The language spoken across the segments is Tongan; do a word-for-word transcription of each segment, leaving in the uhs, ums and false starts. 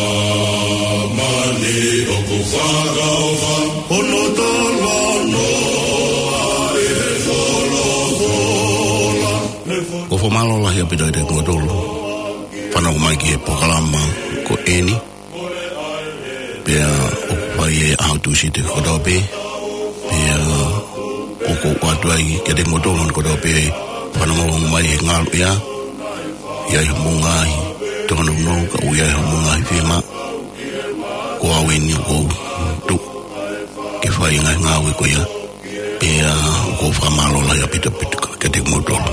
Māmani ʻoku fakaʻofa, hono talanoa ʻi he folofola. ʻOku ou fakamālō lahi ʻaupito kiate kimoutolu fanongo mai ki he polokalama ko eni. Pea ʻoku fai ʻi he ʻaho Tūsite kotoa pē. Pea ʻoku ou ʻoatu ai kiate kimoutolu kotoa pē fanongo mai he ngaluʻea. ʻI ai hoʻomou ngaahi tōnounou, ka ʻoku ʻi ai hoʻomou ngaahi fiemaʻu, ko au eni ʻoku ou tuʻu ke fai e ngaahi ngāue ko ia. Pea ʻoku ou fakamālō lahi ʻaupito ʻaupito kiate kimoutolu.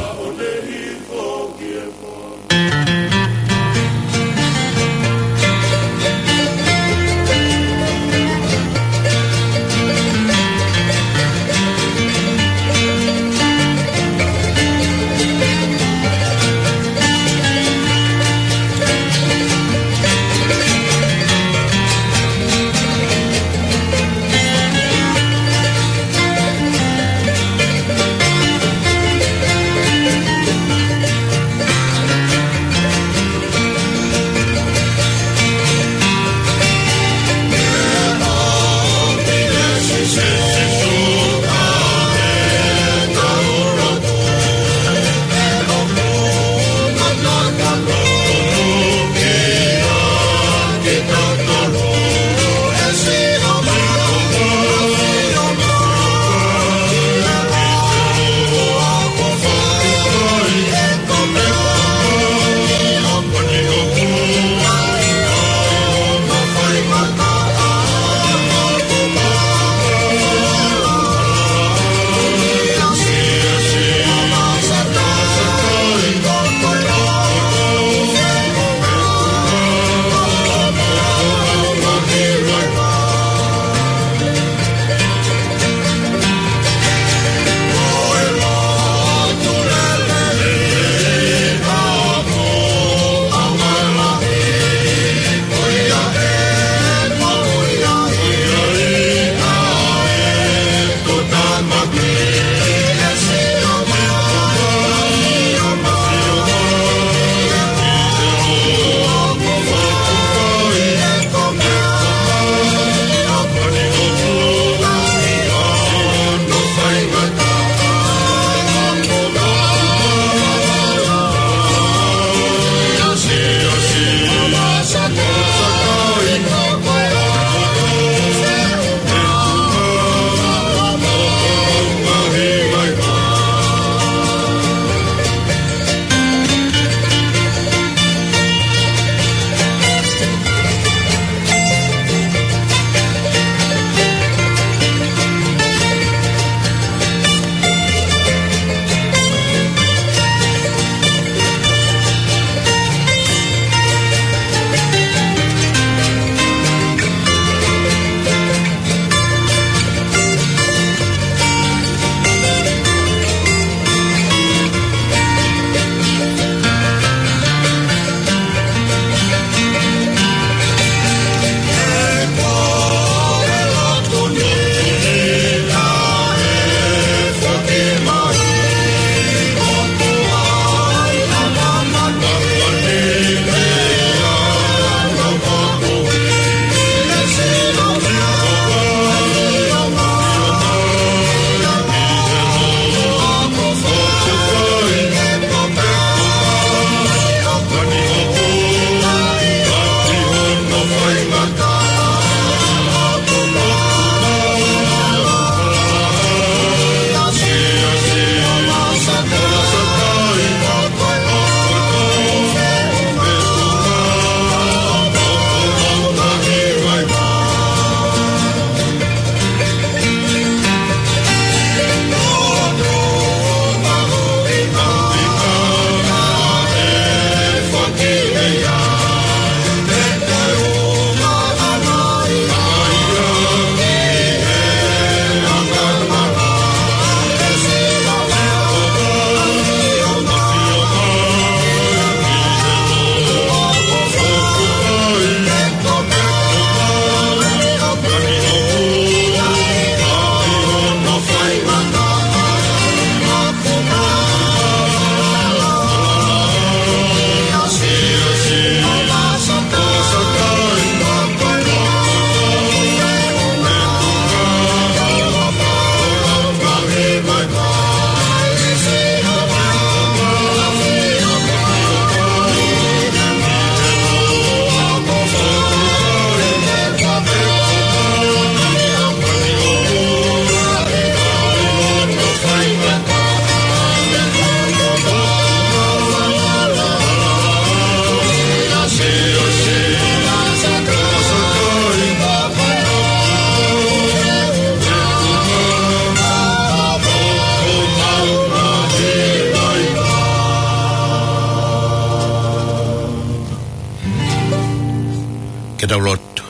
Tau lotu.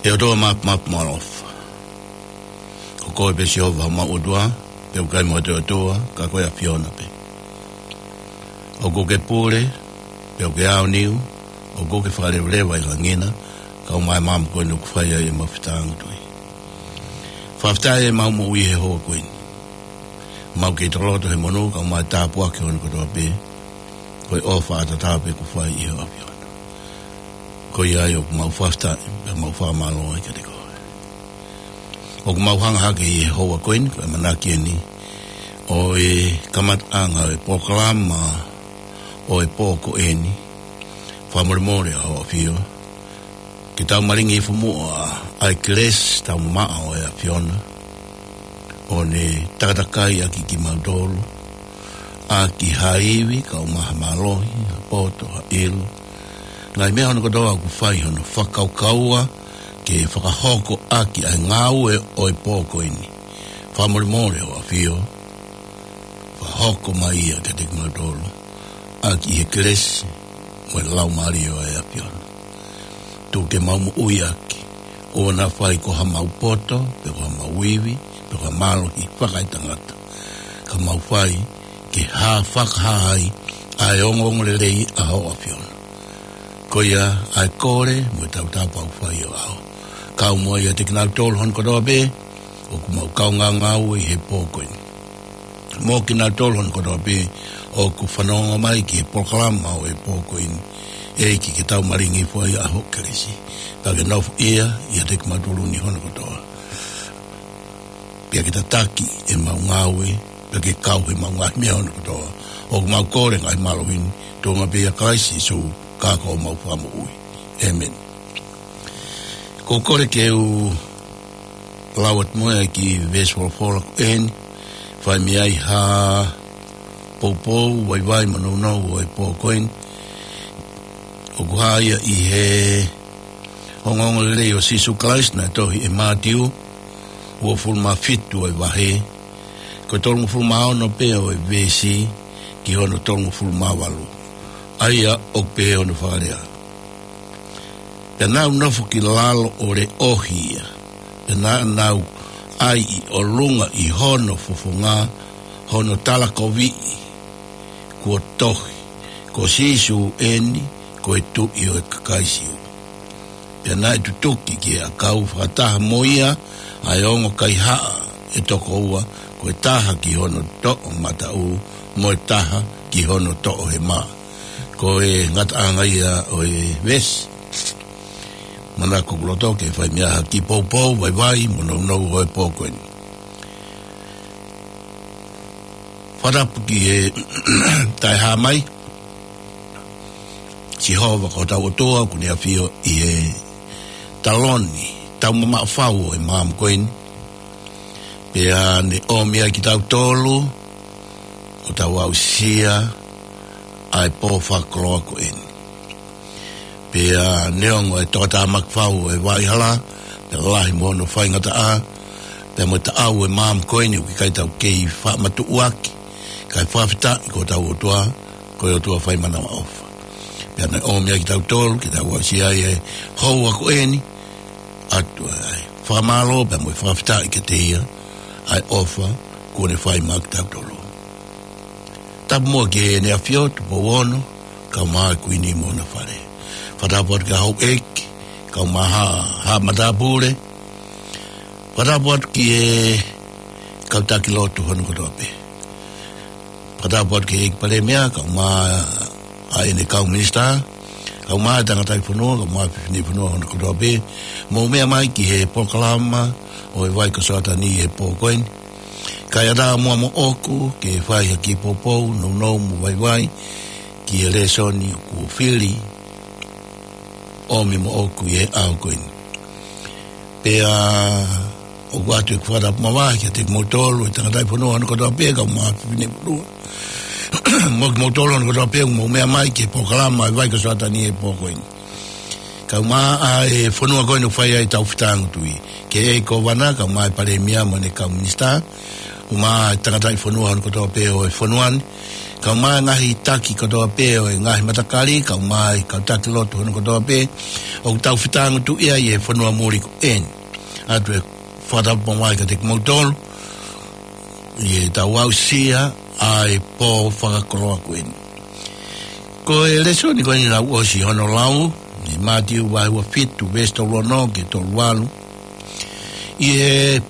ʻE ʻOtua Mafimafi mo ʻAlofa, ko koe pē Sihova homau ʻOtua, pea ʻoku ʻikai mo ha toe ʻOtua ka ko e ʻAfiona pē. ʻOku ke pule, pea ʻoku ke aoniu, ʻoku ke fakalevaleva ʻi langi na, kae ʻumaʻā e maama ko eni ʻoku fai ai ʻemau fetāngutuʻi. Fakafetaʻi ʻemau moʻui he houa ko eni. Mau kei tokoloto he monū, kae ʻumaʻā e tāpuaki hono kotoa pē, ko e ʻofa ʻataʻatā pē kuo fai ʻe ho ʻAfiona. Ko ia ai ʻoku mau fakafetaʻi, pea mau fakamālō ai kiate koe. ʻOku mau hanga hake ʻi he houa ko eni, ko e ʻamanaki eni ʻo e kamataʻanga ʻo e polokalama ʻo e pō ko eni, fakamolemole ʻa ho ʻAfio, ke tau malingi hifo muʻa ʻa e kelesi taumamaʻo ʻo e ʻAfiona, ʻo ne takatakai ʻaki kimautolu, ʻaki ha ivi, kae ʻumaʻā ha mālohi, ha poto, ha ʻilo. Ngaahi meʻa hono kotoa ʻoku fai hono fakakaukaua, ke fakahoko ʻaki ʻa e ngāue ʻo e pō ko eni. Fakamolemole ho ʻAfio, fakahoko mai ia kiate kimautolu, ʻaki he kelesi mo e Laumālie ʻo e ʻAfiona. Tuku ke mau moʻui ʻaki, ʻoua naʻa fai ko haʻamau poto, pe ko haʻamau ivi, pe ko ha mālohi fakaetangata. Ka mau fai ke hā fakahā ai ʻa e ongoongolelei ʻa ho ʻAfiona. Ko ia ʻa e kole mo e tautapa ʻoku fai ʻo ʻao. Kau mo ia ʻiate kinautolu hono kotoa pē ʻoku mau kaungā ngāue ʻi he pō ko eni. Mo kinautolu hono kotoa pē ʻoku fanongo mai ki he polokalama ʻo e pō ko eni. ʻEiki, ke tau malingi hifo ai ʻa ho kelesi. Pea ke nofoʻia ʻiate kimautolu ni hono kotoa. Pea ke tataki ʻemau ngāue, pea ke kau heʻemau ngaahi meʻa hono kotoa. ʻOku mau kole ngaahi mālohi ni, tuʻunga pē ʻia Kalaisi Sīsū, ka ko homau Fakamoʻui. ʻĒmeni. Ko e kole ke u lau atu mo e kiʻi veesi folofola ko eni, fai mei ai ha poupou, vaivai mo nounou ʻo e pō ko eni. ʻOku hā ia ʻi he ongoongolelei ʻo Sīsū Kalaisi naʻe tohi ʻe Mātiu, uofulu mā fitu ʻo e vahe, ko e tolungofulu mā ono pē ʻo e veesi ki hono tolungofulu mā valu. ʻA ia ʻoku pehē hono fakalea: Pea naʻa nau nofo ki lalo ʻo leʻohi ia. Pea naʻa nau ʻai ʻi ʻolunga ʻi hono fofonga hono talakoviʻi, kuo tohi, Ko Sīsū eni, ko e Tuʻi ʻo e kakai Siu. Pea naʻe tutuki ki he ʻakau fakataha mo ia ʻa e ongo kaihaʻa ʻe toko ua, ko e taha ki hono toʻomataʻu, mo e taha ki hono toʻohema. Ko e ngataʻanga ia ʻo e veesi. Manako ʻoku loto ke fai mei ai ha kiʻi poupou, vaivai mo nounou ʻo e pō ko eni. Fakatapu ki he taʻehāmai, Sihova ko hotau ʻOtua, ʻoku ne ʻafio ʻi he taloni taumamaʻo fau ʻo e maama ko eni. Pea ne ʻomi ai kitautolu ʻo tau aʻusia ʻa e pō fakakoloa ko eni. Pea neongo e tokotaha maki fau ʻo e vaʻa hala, pea lahi mo hono faingataʻa, pea mo e taʻau ʻo e maama ko eni ʻoku ʻikai te tau kei faʻa matuʻuaki, kae fakafetaʻi ko hotau ʻOtua, ko e ʻOtua fai manavaʻofa. Pea ne ʻomi ai kitautolu ke tau aʻusia ai e houa ko eni, ʻatu ai ʻa e fakamālō pea mo e fakafetaʻi kiate ia, ʻa e ʻofa kuo ne fai maʻa kitautolu. Tapu muʻa ki heʻene ʻAfio Tupou Ono, kae ʻumaʻā e Kuini mo hona fale. Fakatapu atu ki he houʻeiki, kae ʻumaʻā ha, ha matāpule. Fakatapu atu ki he kau taki lotu hono kotoa pē. Fakatapu atu ki he ʻEiki Palēmia, kae ʻumaʻā ʻa ʻene kau minisitā, kae ʻumaʻā e tangataʻi fonua, kae ʻumaʻā e fefine fonua hono kotoa pē, mou meʻa mai ki he polokalama ʻo e Vai ko Soatani he pō ko eni. Kae ʻatā muʻa moʻoku ke fai ha kiʻi poupou, nounou mo vaivai ki he lēsoni ʻoku fili ʻomi moʻoku ʻi he ʻaho ko eni. Pea ʻoku ʻoatu ʻeku fakatapu māvae kiate kimoutolu e tangataʻi fonua hono kotoa pē, kae ʻumaʻā e fefine fonua, mo kimoutolu hono kotoa pē ʻoku mou meʻa mai ki he polokalama ʻo e Vai ko Soatani he pō ko eni. Kae ʻumaʻā e fonua ko eni ʻoku fai ai ʻetau fetāngutuʻi. Ki he ʻEiki Kōvana, kae ʻumaʻā e Palēmia mo ʻene kau minisitā, ʻumaʻā e tangataʻi fonua hono kotoa pē ʻo e fonua ni, kae ʻumaʻā e ngaahi taki kotoa pē ʻo e ngaahi matakali, kae ʻumaʻā e kau taki lotu hono kotoa pē, ʻoku tau fetāngotuʻi ai he fonua muli ko eni. ʻOatu e fakatapu maʻu ai kiate kimoutolu, ʻi heʻetau aʻusia ʻa e pō fakakoloa ko eni. Ko e lēsoni ko eni naʻa ku ʻosi hono lau, ʻi Mātiu vahe ua fitu, veesi tolu ono ki he tolu valu. ʻI he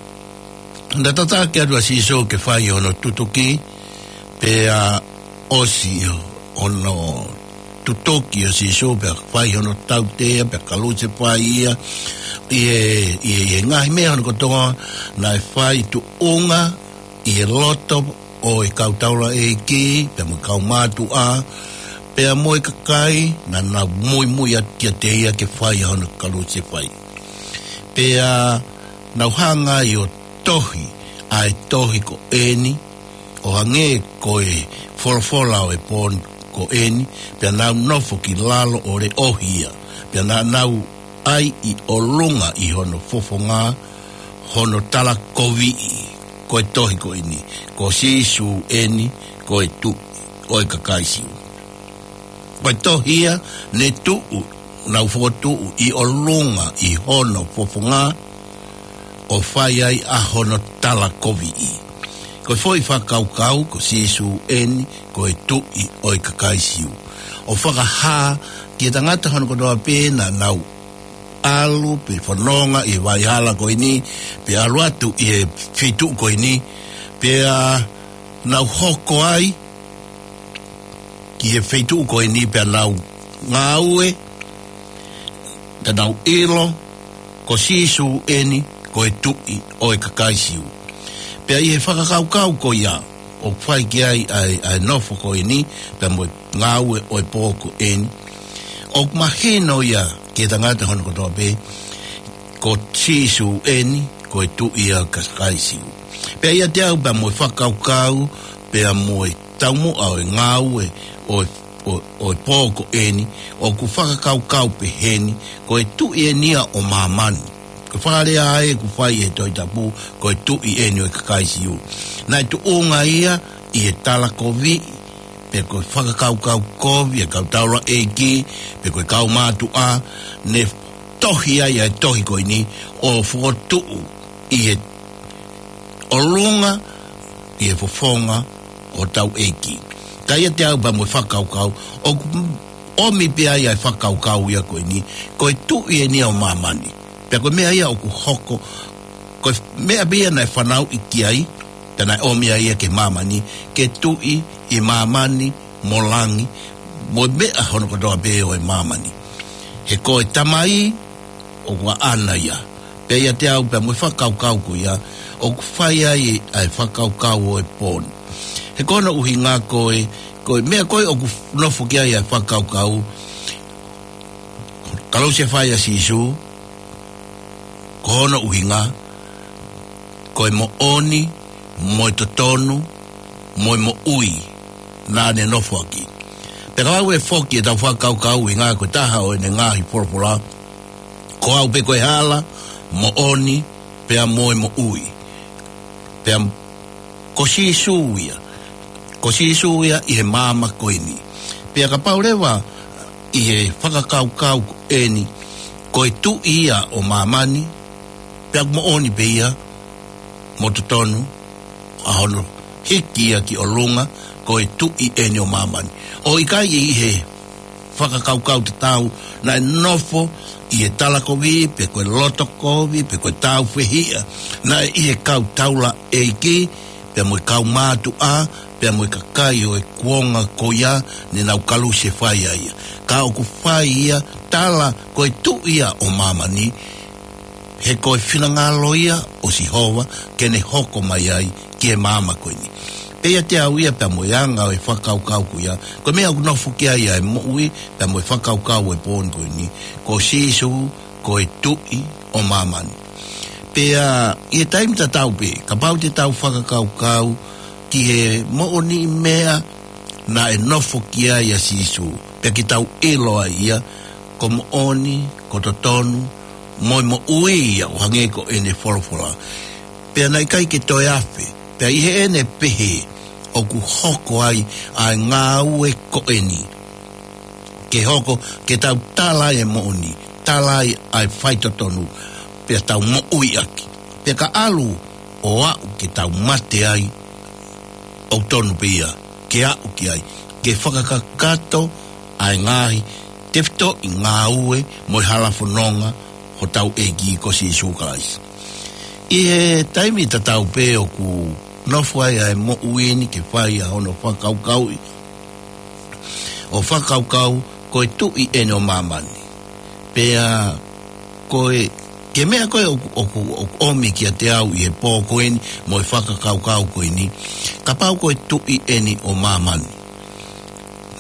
naʻe tataki atu ʻa Sīsū ke fai hono tutuki, pea ʻosi hono tutuki ʻa Sīsū, pea fai hono tautea, pea kalusefai ia, ʻi he, ʻi he, ʻi he ngaahi meʻa hono kotoa, naʻe fai tuʻunga ʻi he loto ʻo e kau taulaʻeiki, pea mo e kau mātuʻa, pea mo e kakai naʻa nau muimui atu kiate ia ke fai hono kalusefai. Pea nau hanga ai ʻo tohi ʻa e tohi ko eni, ʻo hangē ko e folofola ʻo e pō ko eni, pea nau nofo ki lalo ʻo leʻohi ia, pea naʻa nau ʻai ʻi ʻolunga ʻi hono fofonga, hono talakoviʻi, ko e tohi ko eni, ko Sīsū eni, ko e Tuʻi ʻo e kakai Siu. Ko e tohi ia ne tuʻu, nau fokotuʻu ʻi ʻolunga ʻi hono fofonga, ʻo fai ai ʻa hono talakoviʻi. Ko e foʻi fakakaukau, ko Sīsū eni, ko e Tuʻi ʻo e kakai Siu. ʻO fakahā ki he tangata hono kotoa pē naʻa nau ʻalu pe fononga ʻi he vaʻa hala ko eni, pe ʻalu atu ʻi he feituʻu ko eni, pea nau hoko ai ki he feituʻu ko eni, pea nau ngāue, pea nau ʻilo, ko Sīsū eni, ko e Tuʻi ʻo e kakai Siu. Pea ʻi he fakakaukau ko ia, ʻoku fai ki ai ʻa e, ʻa e nofo ko eni, pea mo e ngāue ʻo e pō ko eni, ʻoku mahino ia ki he tangata hono kotoa pē, ko Sīsū eni, ko e Tuʻi ʻa e kakai Siu. Pea ʻiate au pea mo e fakakaukau, pea mo e taumuʻa ʻo e ngāue ʻo e, ʻo, ʻo e pō ko eni, ʻoku fakakaukau peheni, ko e tuʻi eni ia ʻo māmani. Ko e fakalea ē ʻoku fai ʻe he Tohi Tapu, ko e Tuʻi eni ʻo e kakai Siu. Naʻe tuʻunga ia ʻi he talakoviʻi, pe ko e fakakaukau kovi ʻa e kau taulaʻeiki, pe ko e kau mātuʻa, ne tohi ai ʻa e tohi ko eni, ʻo fokotuʻu ʻi he ʻolunga ʻi he fofonga ʻo hotau ʻEiki. Ka ʻiate au pea mo e fakakaukau, ʻoku ʻomi pē ai ʻa e fakakaukau ia ko eni, ko e tuʻi eni ia ʻo māmani. Pea ko e meʻa ia ʻoku hoko, ko e meʻa pē ia naʻe fanauʻi ki ai, pea naʻe ʻomi ai ia ki māmani, ke tuʻi ʻi māmani, mo langi, mo e meʻa hono kotoa pē ʻo e māmani. He ko e Tamai, ʻoku ʻaʻana ia. Pea ʻiate au pea mo e fakakaukau ko ia, ʻoku fai ai ʻa e fakakaukau ʻo e pō ni. He ko hono ʻuhinga ko e, ko e meʻa ko ē ʻoku nofo ki ai ʻa e fakakaukau, kalusefai ʻa Sīsū, ko hono ʻuhinga, ko e moʻoni, mo e totonu, mo e moʻui, naʻa ne nofo ʻaki. Pea ka ʻoku ʻi ai foki ʻetau fakakaukau ʻi he ngaahi, ko e taha ʻo ʻene ngaahi folofola, ko au pē ko e hala, moʻoni, pea mo e moʻui. Pea ko Sīsū ia. Ko Sīsū ia ʻi he maama ko eni. Pea kapau leva ʻi he fakakaukau ko eni, ko e tuʻi ia ʻo māmani, pea moʻoni pē ia, mo totonu, ʻa hono hiki ia ki ʻolunga, ko e tuʻi eni ʻo māmani. ʻOku ʻikai ʻi he fakakaukau tatau, naʻe nofo ʻi he talakovi, pe ko e lotokovi, pe ko e tāufehiʻa, naʻe ʻi he kau taulaʻeiki, pea mo e kau mātuʻa, pea mo e kakai ʻo e kuonga ko ia, ne nau kalusefai ai ia. Ka ʻoku fai ia, tala ko e tuʻi ia ʻo māmani, he ko e finangalo ia ʻo Sihova, ke ne hoko mai ai ki he maama ko eni. Pea ʻiate au ia pea mo e anga ʻo e fakakaukau ko ia, ko e meʻa ʻoku nofo ki ai ʻa e moʻui, pea mo e fakakaukau ʻo e pō ni ko eni, ko Sīsū, ko e tuʻi ʻo māmani. Pea ʻi he taimi tatau pē, kapau te tau fakakaukau ki he moʻoniʻi meʻa naʻe nofo ki ai ʻa Sīsū, pea ke tau ʻilo ai ia, ko moʻoni, ko totonu, mo e moʻui ia ʻo hangē ko ʻene folofola. Pea naʻe ʻikai ke toe afe, pea ʻi heʻene pehē, ʻoku hoko ai ʻa e ngāue ko eni. Ke hoko, ke tau tala ai e moʻoni, tala ai ʻa e faitotonu, pea tau moʻui ʻaki. Pea ka ʻalu ʻo aʻu ke tau mate ai, ʻoku tonu pē ia ke aʻu ki ai, ke fakakakato ʻa e ngaahi tefitoʻi ngāue mo e hala fononga hotau ʻEiki ko Sīsū Kalaisi. ʻI he taimi tatau pē ʻoku nofo ai ʻa e moʻui ni ke fai ʻa hono fakakaukauʻi, ʻo fakakaukau ko e tuʻi eni ʻo māmani. Pea ko e, ke meʻa ko ē ʻoku, ʻoku, ʻoku ʻomi kiate au ʻi he pō ko eni mo e fakakaukau ko eni, kapau ko e tuʻi eni ʻo māmani,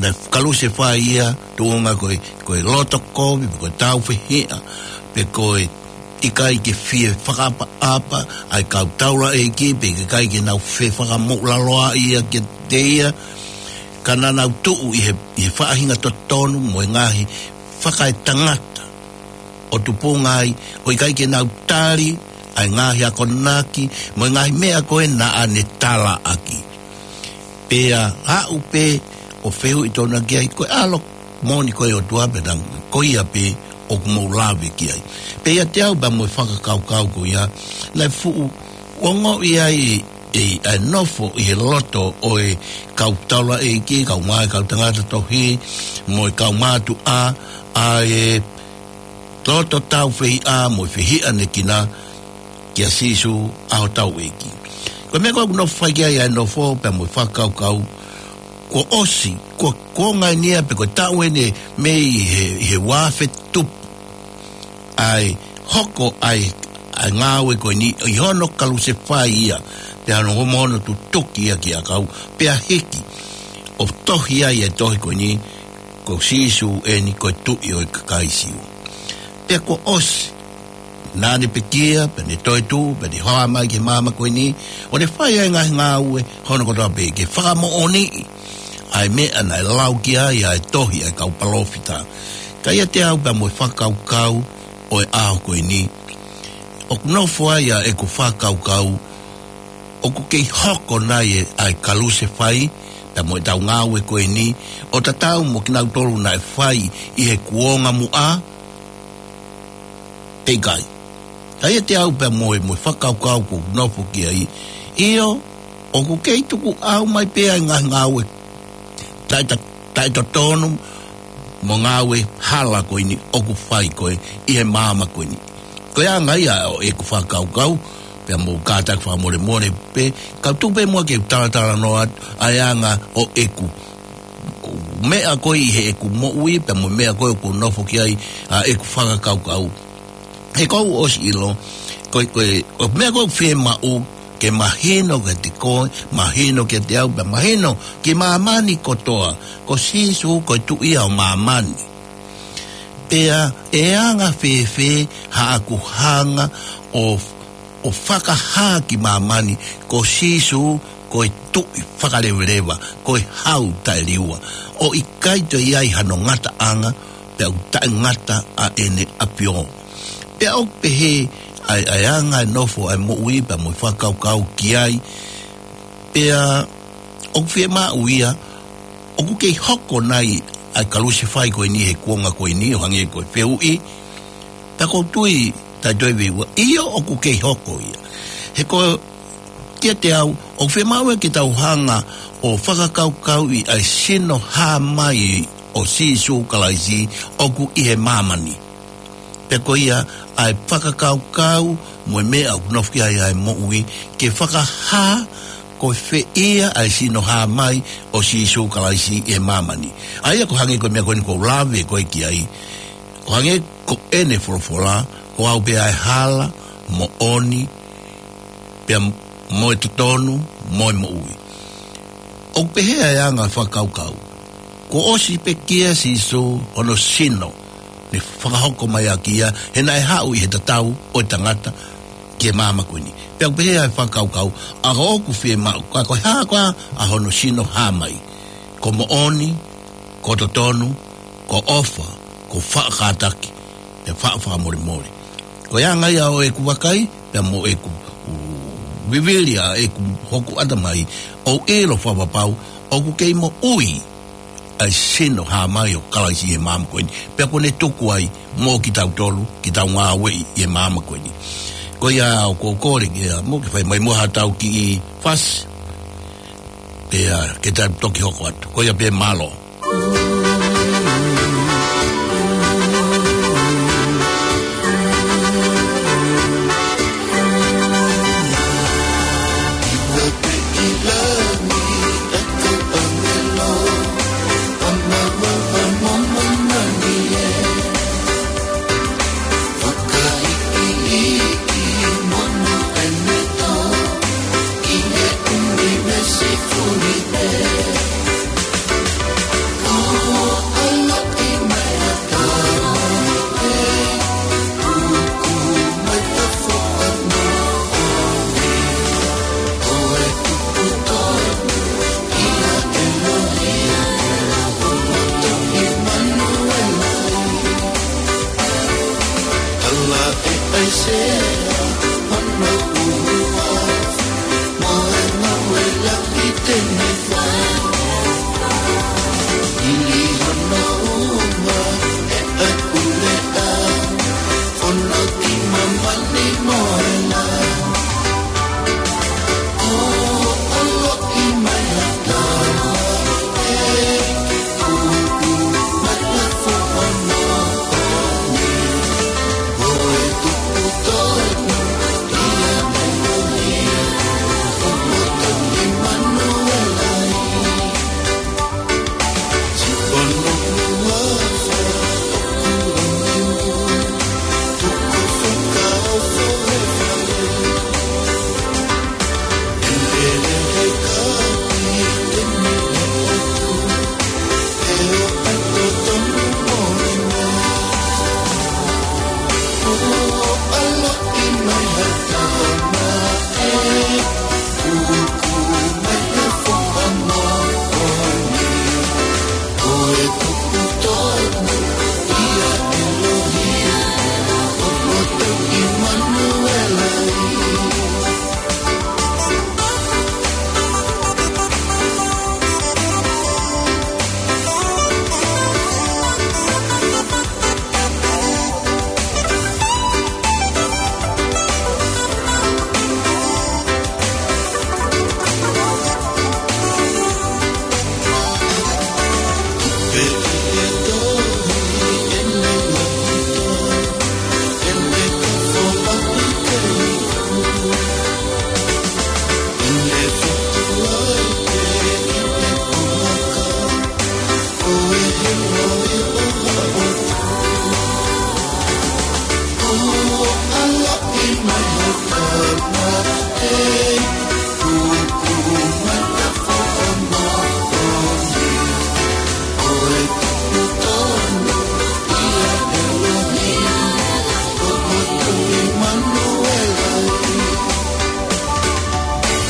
naʻe kalusefai ia, tuʻunga ko e, ko e loto kovi, pe ko e tāufehiʻa, pe ko e ʻikai ke fie fakaʻapaʻapa ʻa e kau taulaʻeiki, pe ʻikai ke nau fefakamoʻulaloaʻi ia kiate ia, ka naʻa nau tuʻu ʻi he, ʻi he faʻahinga totonu mo e ngaahi fakaetangata ʻo tupunga ai, ʻo ʻikai ke nau tali ʻa e ngaahi akonaki mo e ngaahi meʻa ko ē naʻa ne talaʻaki. Pea aʻu pē ʻo fehuʻi tonu ki ai, ko e ʻAlo moʻoni ko e ʻOtua pē, naʻa ko ia pē ʻoku mou lave ki ai. Pea ʻiate au pea mo e fakakaukau ko ia, naʻe fuʻu ongoʻi ai ʻe, ʻa e nofo ʻi he loto ʻo e kau taulaʻeiki, kau ngāue, kau tangata tohi, mo e kau mātuʻa, ʻa e loto tāufehiʻa mo e fehiʻanekina kia Sīsū ʻa hotau ʻEiki. Ko e meʻa ko ē ʻoku nofo fai ki ai ʻa e nofo pea mo e fakakaukau, kuo ʻosi, kuo, kuo ngainia pe ko e taʻu eni mei he, he uafe tupu, ʻa e hoko ʻa e, ʻa e ngāue ko eni, ʻi hono kalusefai ia, pea hono homo hono tutuki ia ki ʻakau, pea hiki ʻo tohi ai e tohi ko eni, ko Sīsū eni ko e tuʻi ʻo e kakai Siu. Pea kuo ʻosi, naʻa ne pekia, pea ne toetuʻu, pea ne hā mai ki he māmani ko eni, ʻo ne fai ʻa e ngaahi ngāue hono kotoa pē ke fakamoʻoniʻi ʻa e meʻa naʻe lau ki ai ʻa e tohi ʻa e kau palōfita. Ka ʻiate au pea mo e fakakaukau ʻo e ʻaho ko eni, ʻoku nofo ai ʻa ʻeku fakakaukau, ʻoku kei hoko nai ʻa e kalusefai pea mo ʻetau ngāue ko eni, ʻo tatau mo kinautolu naʻe fai ʻi he kuonga muʻa, pe ʻikai? Ka ʻiate au pea mo e, mo e fakakaukau ʻoku nofo ki ai, ʻio, ʻoku kei tukuʻau mai pē ʻa e ngaahi ngāue taʻe-, taʻetotonu mo e ngāue hala ko eni ʻoku fai ko ē ʻi he māmani ko eni. Ko e anga ia ʻo ʻeku fakakaukau, pea mou kātaki fakamolemole pē, ka u tuku pē muʻa ke u talatalanoa atu ʻa e anga ʻo ʻeku meʻa ko ē ʻi heʻeku moʻui, pea mo e meʻa ko ē ʻoku ou nofo ki ai, ʻa ʻeku fakakaukau. He ʻoku ou ʻosi ʻilo, ko e, ko e, ʻo e meʻa ʻoku ou fiemaʻu ke mahino kiate koe, mahino kiate au, pea mahino ki māmani kotoa, ko Sīsū ko e tuʻi ia ʻo māmani. Pea ʻe anga fēfē haʻaku hanga ʻo, ʻo fakahā ki māmani, ko Sīsū ko e tuʻi fakaleveleva, ko e hau taʻeliua, ʻo ʻikai toe ʻi ai hano ngataʻanga, pea ʻoku taʻengata ʻa ʻene ʻAfio. Pea ʻoku pehē ʻa e, ʻa e anga e nofo ʻa e moʻui pea mo e fakakaukau ki ai, pea ʻoku fiemaʻu ia, ʻoku kei hoko nai ʻa e kalusefai ko eni he kuonga ko eni ʻo hangē ko e fehuʻi, pea ʻoku ou tui taʻetoeveiveiua, ʻio ʻoku kei hoko ia. He ko kiate au, ʻoku fiemaʻu ia ke tau hanga ʻo fakakaukauʻi ʻa e sino hā mai ʻo Sīsū Kalaisi ʻoku ʻi he māmani. Pea ko ia ʻa e fakakaukau mo e meʻa ʻoku nofo ki ai ʻa e moʻui, ke fakahā ko fē ia ʻa e sino hā mai ʻo Sīsū Kalaisi ʻi he māmani. ʻA ia ʻoku hangē ko e meʻa ko eni ʻoku ou lave ko ē ki ai. ʻOku hangē ko ʻene folofola, ko au pē ʻa e hala, moʻoni, pea mo e totonu, mo e moʻui. ʻOku pehē ʻa e anga fakakaukau, kuo ʻosi pekia ʻa Sīsū hono sino, ne fakahoko mai ʻaki ia, he naʻe haʻu ʻi he tatau ʻo e tangata ki he māmani ko eni. Pea ʻoku pehē ʻa e fakakaukau, ʻa ko ʻoku fiemaʻu, ka ko e hā koā ʻa hono sino hā mai? Ko moʻoni, ko totonu, ko ʻofa, ko faʻa kātaki, pea faʻa fakamolemole. Ko e anga ia ʻo ʻeku vakai, pea mo ʻeku, u, Vivili ʻa ʻeku hoku ʻatamai, ʻoku ʻilo fakapapau ʻoku kei moʻui ʻa e sino hā mai ʻo Kalaisi ʻi he māmani ko eni. Pea kuo ne tuku ai mo kitautolu ke tau ngāueʻi ʻi he māmani ko eni. Ko ia ʻoku ou kole ke ʻa mo ke fai mai mo haʻatau kiʻi fasi. Pea ke tau toki hoko atu. Ko ia pē, mālō.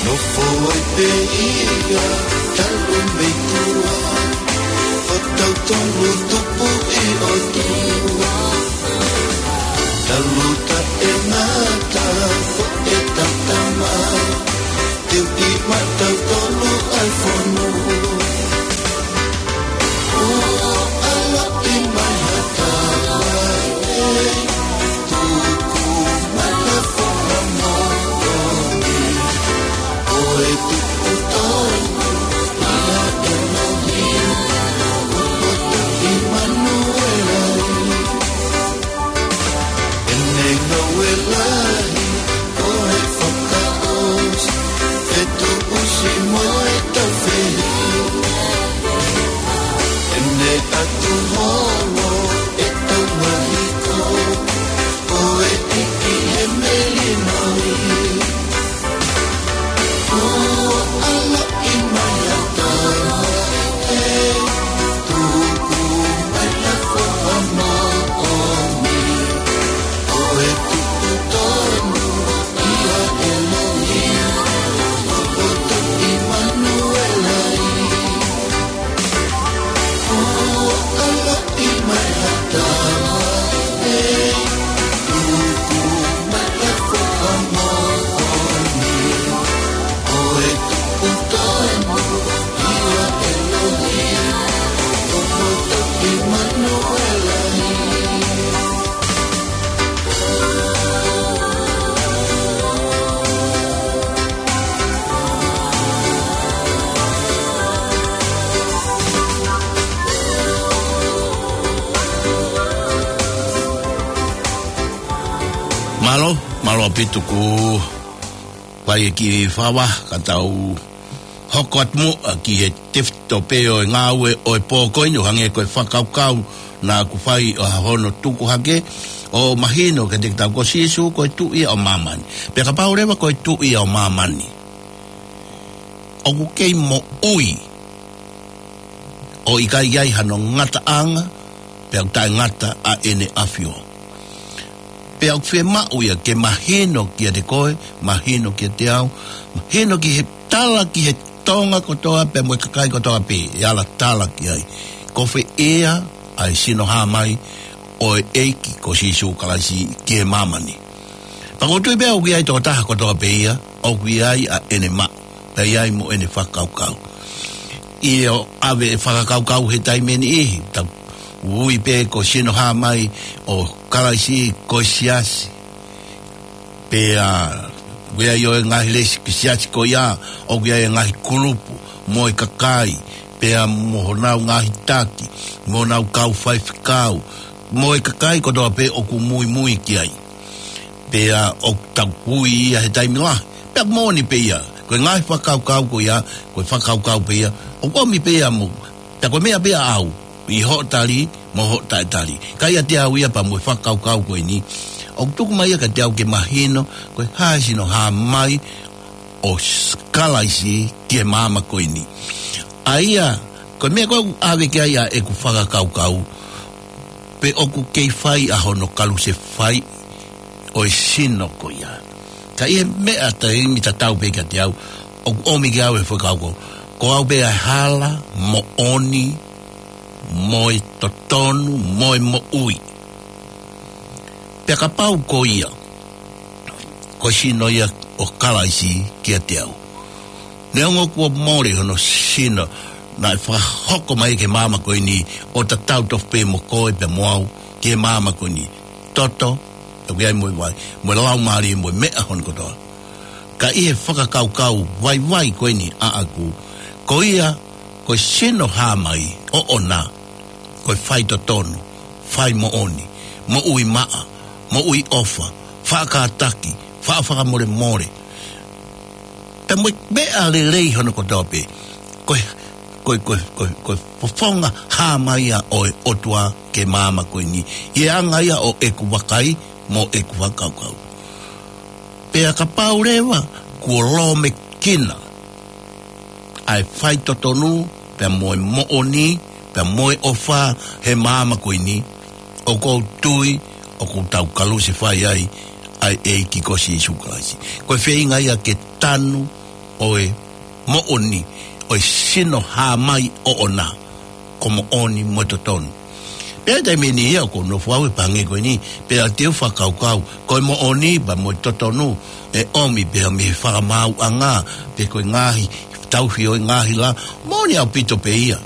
Nofo ai pē ia talu mei tuʻa, ʻo tautolu tupu ʻi ʻOtua. Talu taʻengata ko e tatama, teu ʻi maʻatautolu ʻa e fonua. ʻO ʻaloʻi mai ha taha, Mālō, mālō ʻaupito kuo fai e kiʻi fakaava, ka tau hoko atu muʻa ki he tefitoʻi pē ʻo e ngāue ʻo e pō ko eni, ʻo hangē ko e fakakaukau naʻa ku fai ʻo hono tuku hake, ʻo mahino kiate kitautolu ko Sīsū ko e Tuʻi ia ʻo māmani. Pea kapau leva ko e Tuʻi ia ʻo māmani, ʻoku kei moʻui, ʻo ʻikai ʻi ai hano ngataʻanga, pea ʻoku taʻengata ʻa ʻene ʻafio. Pea ʻoku fiemaʻu ia ke mahino kiate koe, mahino kiate au, mahino ki he tala ki he Tonga kotoa pea mo e kakai kotoa pē, ʻe ala tala ki ai. Ko fē ia ʻa e sino hā mai ʻo e ʻEiki ko Sīsū Kalaisi ki he māmani. Pea ʻoku ou tui pē ʻoku ʻi ai tokotaha kotoa pē ia, ʻoku ʻi ai ʻa ʻene maʻu, pea ʻi ai mo ʻene fakakaukau. ʻI he ʻave e fakakaukau he taimi ʻe niʻihi, tau ui pē ko e sino hā mai ʻo Kalaisi ko e siasi. Pea ʻoku ʻi ai ʻo e ngaahi lesi ki siasi ko ia, ʻoku ʻi ai e ngaahi kulupu, mo e kakai, pea mo honau ngaahi taki, mo honau kau faifekau, mo e kakai kotoa pē ʻoku muimui ki ai. Pea ʻoku tau ui ia he taimi lahi. Pea ʻoku moʻoni pē ia. Ko e ngaahi fakakaukau ko ia, ko e fakakaukau pē ia. ʻOku ʻomi pē ia mo. Pea ko e meʻa pē ia ʻaʻau, ʻi hoʻo tali, mo hoʻo taʻetali. Ka ʻiate au ia pea mo e fakakaukau ko eni, ʻoku tuku mai ia kiate au ke mahino, ko e hā e sino hā mai ʻo s-, Kalaisi ki he māmani ko eni. ʻA ia, ko e meʻa ko ē ʻoku ʻave ki ai ʻa ʻeku fakakaukau, pe ʻoku kei fai ʻa hono kalusefai ʻo e sino ko ia. Ka ʻi he meʻa taimi tatau pē kiate au, ʻoku ʻomi kiate au e fakakaukau, ko au pē ʻa e hala, moʻoni, mo e totonu, mo e moʻui. Pea kapau ko ia, ko e sino ia ʻo Kalaisi kiate au. Neongo kuo mole hono sino, naʻe fakahoko mai ki he māmani ko eni ʻo tatau tofu pē mo koe pea mo au ki he māmani ko eni. Toto, ʻoku ʻi ai mo e vai, mo e laumālie, mo e meʻa hono kotoa. Ka ʻi he fakakaukau vaivai ko eni ʻaʻaku, ko ia, ko e sino hā mai ʻoʻona, ko e faitotonu, faimoʻoni, moʻui maʻa, moʻui ʻofa, faʻa kātaki, faʻa fakamolemole. Pea mo e meʻa lelei hono kotoa pē. Ko e, ko e, ko e, ko e, ko e fofonga hā mai ia ʻo e ʻOtua ki he māmani ko eni. ʻI he anga ia ʻo ʻeku vakai mo ʻeku fakakaukau. Pea kapau leva kuo lōmekina ʻa e faitotonu, pea mo e moʻoni, pea mo e ʻofa he māmani ko eni, ʻoku ou tui ʻoku tau kalusefai ai ʻa e ʻEiki ko Sīsū Kalaisi. Ko e feinga ia ke tanu ʻo e moʻoni, ʻo e sino hā mai ʻoʻona, ko e moʻoni mo e totonu. Pea taimi ʻe niʻihi ia ʻoku ou nofo au he pahange ko eni, pea te u fakakaukau, ko e moʻoni pea mo e totonu, ʻe ʻomi pē ia mei he fakamaauʻanga, pe ko e ngaahi tauhi ʻo e ngaahi lā, moʻoni ʻaupito pē ia.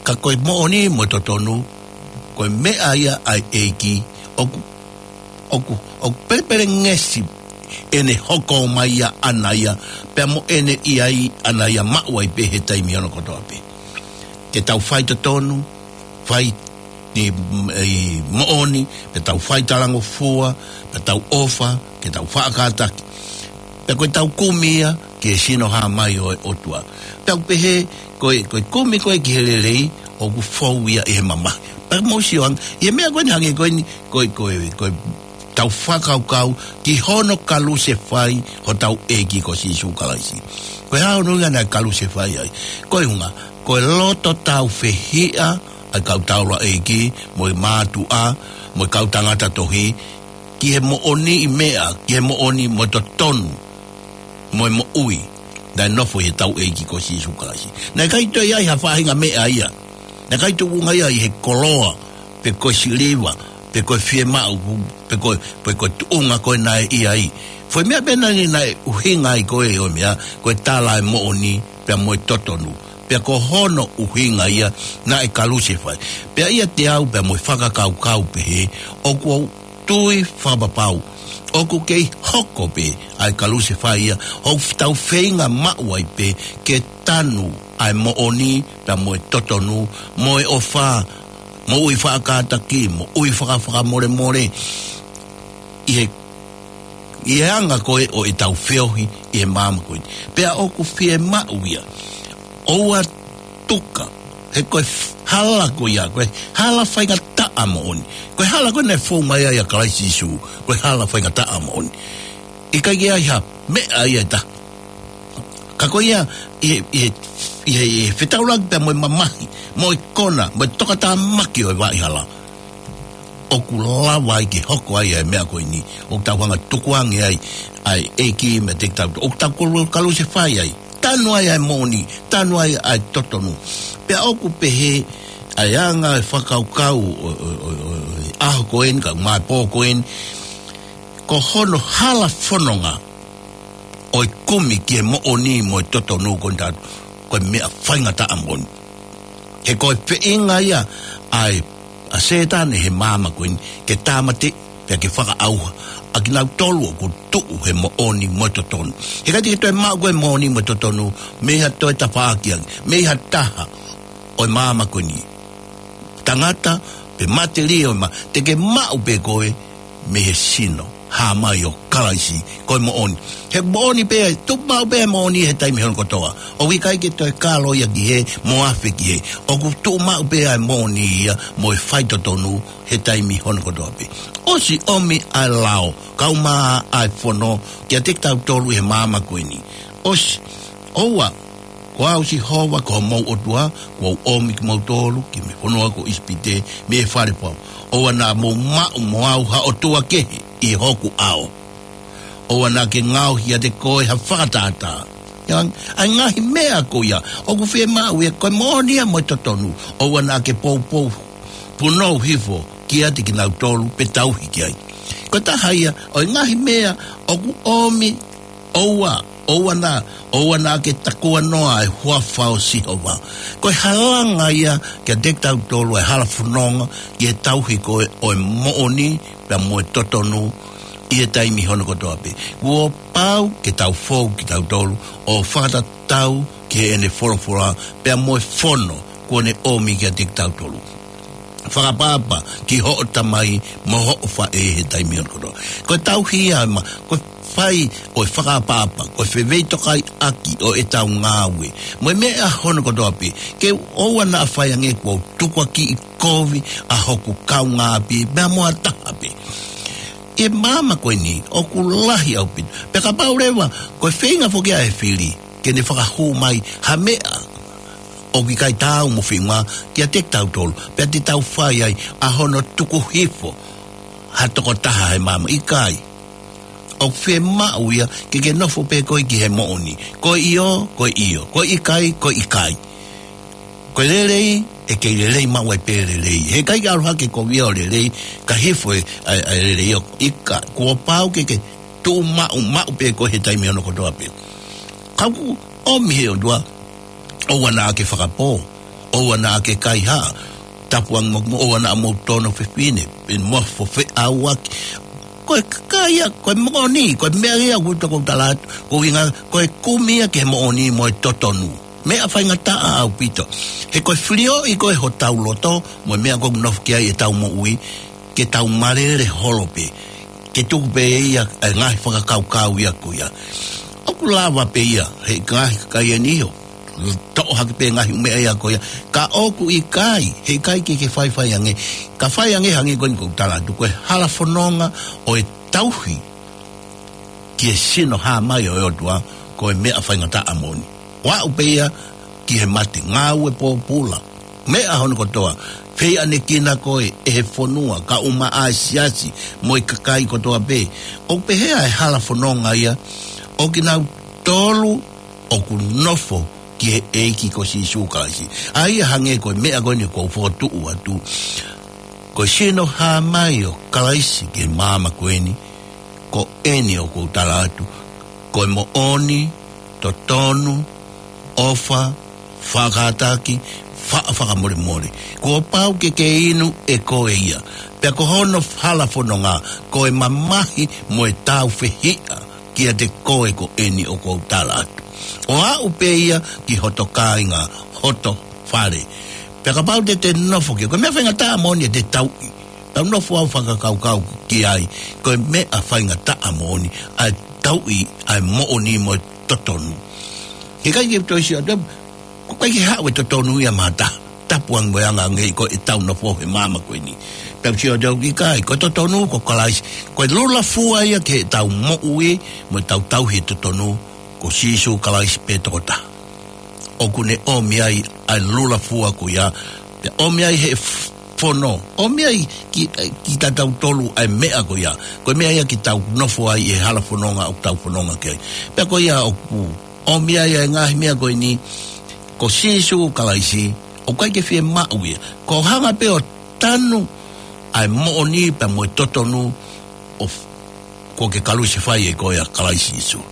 Ka ko e moʻoni mo e totonu, ko e meʻa ia ʻa e ʻEiki, ʻoku, ʻoku, ʻoku pelepelengesi ʻene hoko mai ia ʻaʻana ia, pea mo ʻene ʻi ai ʻaʻana ia maʻu ai pē he taimi hono kotoa pē. Ke tau faitotonu, fai ʻi, ʻi moʻoni, pea tau faitalangofua, pea tau ʻofa, ke tau faʻa kātaki. Pea ko e tau kumi ia ki he sino hā mai ʻo e ʻOtua. Pea ʻoku pehē, ko e, ko e kumi ko ē ki he lelei, ʻoku fou ia ʻi he mamahi. Pea mou sio ange, ʻi he meʻa ko eni hangē ko eni, ko e, ko e, ko e tau fakakaukau ki hono kalusefai hotau ʻEiki ko Sīsū Kalaisi. Ko e hā hono ʻuhinga naʻe kalusefai ai? Ko e ʻuhinga, ko e loto tāufehiʻa ʻa e kau taulaʻeiki, mo e mātuʻa, mo e kau tangata tohi, ki he moʻoniʻi meʻa, ki he moʻoni mo e totonu, mo e moʻui naʻe nofo ʻi hotau ʻEiki ko Sīsū Kalaisi. Naʻe ʻikai toe ʻi ai ha faʻahinga meʻa ia. Naʻe ʻikai tuʻunga ia ʻi he koloa, pe ko e siliva, pe ko e fiemaʻu, pe ko, pe ko e tuʻunga ko ē naʻe ʻi ai. Foʻi meʻa pē naʻe, naʻe ʻuhinga ai ko ē ʻo e meʻa, ko e tala ʻa e moʻoni, pea mo e totonu. Pea ko hono ʻuhinga ia naʻe kalusefai. Pea ʻiate au pea mo e fakakaukau pehē, ʻoku ou tui fakapapau ʻoku kei hoko pē ʻa e kalusefai ia, ʻoku tau feinga maʻu ai pē ke tanu ʻa e moʻoni, pea mo e totonu, mo e ʻofa, moʻui faʻa kātaki, moʻui faʻa fakamolemole, ʻi he ʻi he anga ko ē ʻo ʻetau feohi ʻi he māmani ko eni. Pea ʻoku fiemaʻu ia ʻoua tuka, he ko e f-, hala ko ia, ko e hala faingataʻa moʻoni. Ko e hala ko ē naʻe fou mai ai ʻa Kalaisi Sīsū, ko e hala faingataʻa moʻoni. ʻIkai ke ʻi ai ha meʻa ia ʻe taha. Ka ko ia, ʻi he, ʻi he, ʻi he, ʻi he fetaulaki pea mo e mamahi, mo e kona, mo e tokatāmaki ʻo e vaʻa hala, ʻoku lava ai ke hoko ai ʻa e meʻa ko eni, ʻoku tau hanga tukuange ai ʻa e ʻEiki meiate kitautolu, ʻoku tau kolu-, kalusefai ai, tanu ai ʻa e moʻoni, tanu ai ʻa e totonu. Pea ʻoku pehē ʻa e anga e fakakaukau ʻo, ʻo, ʻo, ʻo, ʻo e ʻaho ko eni, kae ʻumaʻā e pō ko eni, ko hono hala fononga ʻo e kumi ki he moʻoni mo e totonu ko eni taʻu, ko e meʻa faingataʻa moʻoni. He ko e feinga ia ʻa e, ʻa Sētane he māmani ko eni, ke tāmateʻi, pea ke fakaʻauha ʻa kinautolu ʻoku tuʻu he moʻoni mo e totonu. He ʻikai te ke toe maʻu koe moʻoni mo e totonu mei ha toe tafaʻaki ange, mei ha taha ʻo e māmani ko eni, tangata pe matelie ʻo e mā, te ke maʻu pē koe mei he sino hā mai ʻo Kalaisi, ko e moʻoni. He moʻoni pē, tuʻu maʻu pē moʻoni he taimi hono kotoa. ʻOku ʻikai ke toe kalo ia ki hē, mo afe ki hē. ʻOku tuʻu maʻu pē ʻa e moʻoni ia mo e faitotonu he taimi hono kotoa pē. ʻOsi ʻomi ʻa e lao, kae ʻumaʻā ʻa e fono, kiate kitautolu he māmani ko eni. ʻOsi, ʻoua, ko au Sihova ko homou ʻOtua, kuo u ʻomi kimoutolu ki he fonua ko ʻIsipite, mei he fale fau. ʻOua naʻa mou maʻu mo au ha ʻotua kehe ʻi hoku ʻao. ʻOua naʻa ke ngaohi ʻiate koe ha fakatātā. Ia, ʻa e ngaahi meʻa ko ia ʻoku fiemaʻu ia, ko e moʻoni ia mo e totonu. ʻOua naʻa ke poupou, punou hifo kiate kinautolu pe tauhi ki ai. Ko e taha ia ʻo e ngaahi meʻa ʻoku ʻomi, ʻoua, ʻoua naʻa, ʻoua naʻa ke takuanoa ʻa e huafa ʻo Sihova. Ko e halanga ia kiate kitautolu ʻa e hala fononga ki he tauhi ko ē ʻo e moʻoni pea mo e totonu ʻi he taimi hono kotoa pē. Kuo pau ke tau fou kitautolu ʻo fakatatau ki heʻene folofola pea mo e fono kuo ne ʻomi kiate kitautolu. Fakaʻapaʻapa ki hoʻo tamai mo hoʻo faʻē he taimi hono kotoa. Ko e tauhi ia ma, ko e fai ʻo e fakaʻapaʻapa, ko e feveitokaiʻaki ʻo ʻetau ngāue mo e meʻa hono kotoa pē. Ke ʻoua naʻa fai ange kuo u tukuakiʻi kovi ʻa hoku kaungāʻapi, pea mo ha taha pē. ʻI he māmani ko eni, ʻoku lahi ʻaupito. Pea kapau leva, ko e feinga foki ʻa e fili ke ne fakahū mai ha meʻa ʻoku ʻikai taau mo e feinga kiate kitautolu, pea te tau fai ai ʻa hono tuku hifo ha tokotaha he māmani, ʻikai. ʻOku fiemaʻu ia ke ke nofo pē koe ki he moʻoni. Ko e ʻio, ko e ʻio. Ko e ʻikai, ko e ʻikai. Ko e lelei, ʻe kei lelei maʻu ai pē lelei. He ʻikai ke ʻalu hake kovi ʻo lelei, kae hifo ʻa e, ʻa e, ʻa e lelei ʻo ʻikai. Kuo pau ke ke tuʻu maʻu, maʻu pē koe he taimi hono kotoa pē. Ka ʻoku ʻomi he ʻOtua, ʻoua naʻa ke fakapō, ʻoua naʻa ke kaihaʻa, tapu ange mo, mo, ʻoua naʻa mou tono fefine, pe mou fofeʻauaki. Ko e kakai ia, ko e moʻoni, ko e meʻa ia ʻoku ou tala atu, ko e ʻuhinga, ko e kumi ia ki he moʻoni mo e totonu. Meʻa faingataʻa ʻaupito. He ko e filioʻi ko ē hotau loto mo e meʻa ʻoku nofo ki ai ʻetau moʻui, ke tau malele holo pē, ke tuku pē ia ʻa e ngaahi fakakaukau ia ko ia. ʻOku lava pē ia he ngaahi kakai eni ʻo toʻo hake pē ngaahi ʻū meʻa ia ko ia. Ka ʻoku ʻikai, he ʻikai ke ke faifai ange. Ka fai ange hangē ko eni ʻoku ou tala atu, ko e hala fononga ʻo e tauhi ki he sino hā mai ʻo e ʻOtua, ko e meʻa faingataʻa moʻoni. ʻO aʻu pē ia ki he mate, ngāue pōpula, meʻa hono kotoa, feiʻanekina koe ʻe he fonua, kae ʻumaʻā e siasi mo e kakai kotoa pē. ʻOku pehē ʻa e hala fononga ia ʻo kinautolu ʻoku nofo ki he ʻEiki ko Sīsū Kalaisi. ʻA ia hangē ko e meʻa ko eni ʻoku ou fokotuʻu atu, ko e sino hā mai ʻo Kalaisi ki he māmani ko eni, ko eni ʻoku ou tala atu, ko e moʻoni, totonu, ʻofa, faʻa kātaki, faʻa fakamolemole. Kuo pau ke ke inu ʻe koe ia. Pea ko hono hala fononga, ko e mamahi mo e tāufehiʻa kiate koe ko eni ʻoku ou tala atu. ʻO aʻu pē ia ki hoto kāinga, hoto fale. Pea kapau te te nofo ki ai, ko e meʻa faingataʻa moʻoni ʻete tauʻi. Tau nofo ʻo fakakaukau ki ai, ko e meʻa faingataʻa moʻoni, ʻa e tauhi ʻa e moʻoni mo e totonu. He ʻikai ke toe sio atu, ko e ʻikai ke haʻu e totonu ia mei ha taha. Tapu ange mo e anga ange ko ʻetau nofo he māmani ko eni. Pea sio atu ʻikai, ko e totonu ko Kalaisi, ko e lula fua ia ki heʻetau moʻui, mo ʻetau tauhi e totonu, ko Sīsū Kalaisi pē tokotaha. ʻOku ne ʻomi ai ʻa e lula fua ko ia, pea ʻomi ai he f-, fono, ʻomi ai ki, kitautolu ʻa e meʻa ko ia. Ko e meʻa ia ke tau nofo ai he hala fononga ʻoku tau fononga ki ai. Pea ko ia ʻoku ʻomi ai ʻa e ngaahi meʻa ko eni, ko Sīsū Kalaisi, ʻoku ʻikai ke fiemaʻu ia. Ko e hanga pē ʻo tanu ʻa e moʻoni pea mo e totonu ʻo f-, kuo ke kalusefai ʻe koe ʻa Kalaisi Sīsū.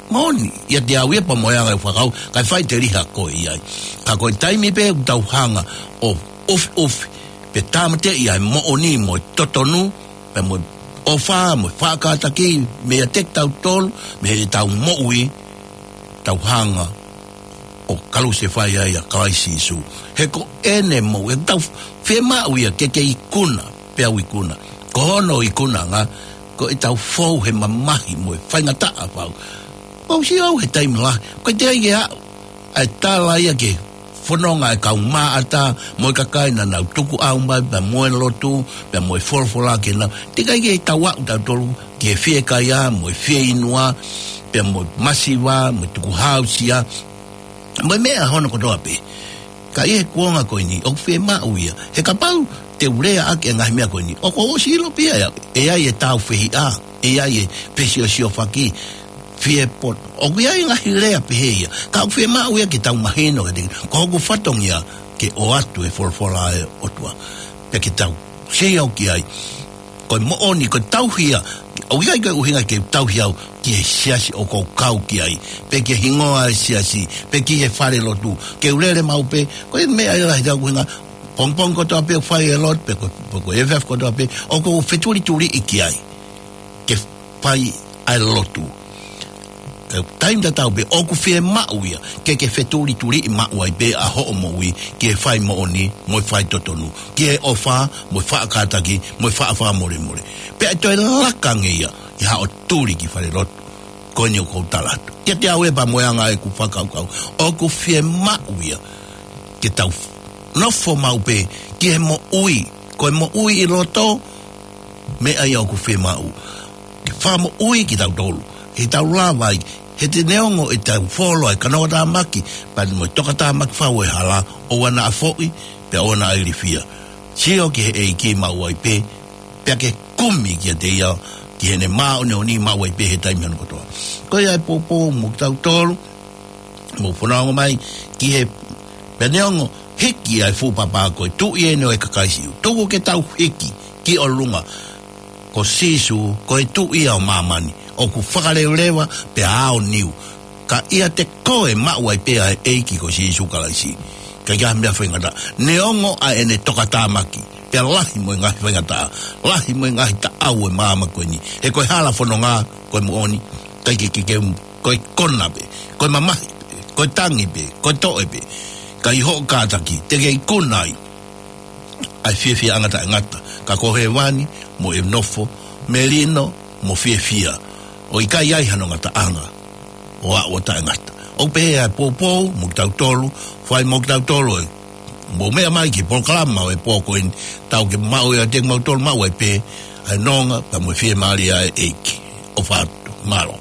Moʻoni, ʻiate au ia pea mo e anga ʻeku fakakaukau, kae fai teliha koe ia. Ka ko e taimi pē ʻoku tau hanga ʻo ʻufiʻufi, pe tāmateʻi ʻa e moʻoni mo e totonu, pea mo e ʻofa, mo e faʻa kātaki, meiate kitautolu, mei heʻetau moʻui, tau hanga ʻo kalusefai ai ʻa Kalaisi Sīsū. He ko ʻene moʻui, ʻoku tau fiemaʻu ia ke ke ikuna, pea u ikuna. Ko hono ikunaʻanga, ko ʻetau fou he mamahi mo e faingataʻa fau. ʻOku ou sio au he taimi lahi, ko e teʻeki ai ke aʻu ʻa e tala ia ki he fononga ʻa e kau maʻata, mo e kakai naʻa nau tukuʻau mai, pea mo e lotu, pea mo e folofola ke nau. Teʻeki ai ke tau aʻu tautolu ki he fiekaia, mo e fieinua, pea mo e masiva, mo e tukuhāusia, mo e meʻa hono kotoa pē. Ka ʻi he kuonga ko eni, ʻoku fiemaʻu ia. He kapau te u lea ʻaki e ngaahi meʻa ko eni, ʻoku ou ʻosi ʻilo pē ia, ʻe ʻi ai e tāufehiʻa, ʻe ʻi ai e fesiosiofaki, fie poto. ʻOku ʻi ai e ngaahi lea pehē ia. Ka ʻoku fiemaʻu ia ke tau mahino, ka te, ko hoku fatongia ke ʻoatu e folofola ʻa e ʻOtua. Pea ke tau sio ki ai. Ko e moʻoni, ko e tauhi ia. ʻOku ʻikai ko e ʻuhinga ke u tauhi au ki he siasi ʻoku ou kau ki ai. Pe ki he hingoa e siasi, pe ki he fale lotu. Ke u lele maʻu pē, ko e meʻa ia lahi ʻa e ʻuhinga, pongipongi kotoa pē ʻoku fai e lotu, pe ko, pe ko e efiafi kotoa pē, ʻoku ou fetulituliʻi ki ai. Ke fai ʻa e lotu. Ka taimi tatau pē ʻoku fiemaʻu ia, ke ke fetulituliʻi maʻu ai pē ʻa hoʻo moʻui, ki he fai moʻoni, mo e fai totonu, ki he ʻofa, mo e faʻa kātaki, mo e faʻa fakamolemole. Pea ʻe toe laka ange ia, ʻi haʻo tuli ki fale lotu, ko eni ʻoku ou tala atu. ʻIate au ia pea mo e anga ʻeku fakakaukau, ʻoku fiemaʻu ia, ke tau nofo maʻu pē, ki he moʻui, ko e moʻui ʻi loto, meʻa ia ʻoku fiemaʻu. Ke fakamoʻui kitautolu. He tau lava ai, he te neongo ʻetau folo ʻa e kanoa tāmaki, pea mo e toka tāmaki fau ʻo e hala, ʻoua naʻa foʻi, pea ʻoua naʻa ilifia. Sio ki he ʻEiki maʻu ai pē, pea ke kumi kiate ia, ki heʻene māʻoniʻoni maʻu ai pē he taimi hono kotoa. Ko ia e poupou mo kitautolu, mo fanongo mai, ki he, pea neongo, hiki ʻa e fuʻu papa ko e tuʻi eni ʻo e kakai Siu. Tuku ke tau hiki, ki ʻolunga, ko Sīsū, ko e tuʻi ia ʻo māmani, ʻoku fakaleuleu, pea aoniu. Ka ʻiate koe maʻu ai pē ʻa e ʻEiki ko Sīsū Kalaisi. Ka ʻikai ha meʻa faingataʻa. Neongo ʻa ʻene toka tāmaki, pea lahi mo e ngaahi faingataʻa, lahi mo e ngaahi taʻau ʻo e māmani ko eni. He ko e hala fononga, ko e moʻoni, ʻikai ke, ke, ke, ko e kona pē, ko e mamahi pē, ko e tangi pē, ko e toʻe pē. Ka ʻi hoʻo kātaki, te ke ikuna ai ʻa e fiefiaʻanga taʻengata, ka ko hēvani, mo e nofo melino, mo fiefia, ʻo ʻikai ai hano ngataʻanga, ʻo aʻu ʻo taʻengata. ʻOku pehē ʻa e poupou, mo kitautolu, fai mo kitautolu ē. Mou meʻa mai ki he polokalama ʻo e pō ko eni, tau ke maʻu ʻiate kimautolu maʻu ai pē, ʻa e nonga, pea mo e fiemālie ʻa e ʻEiki. ʻOfa atu, mālō.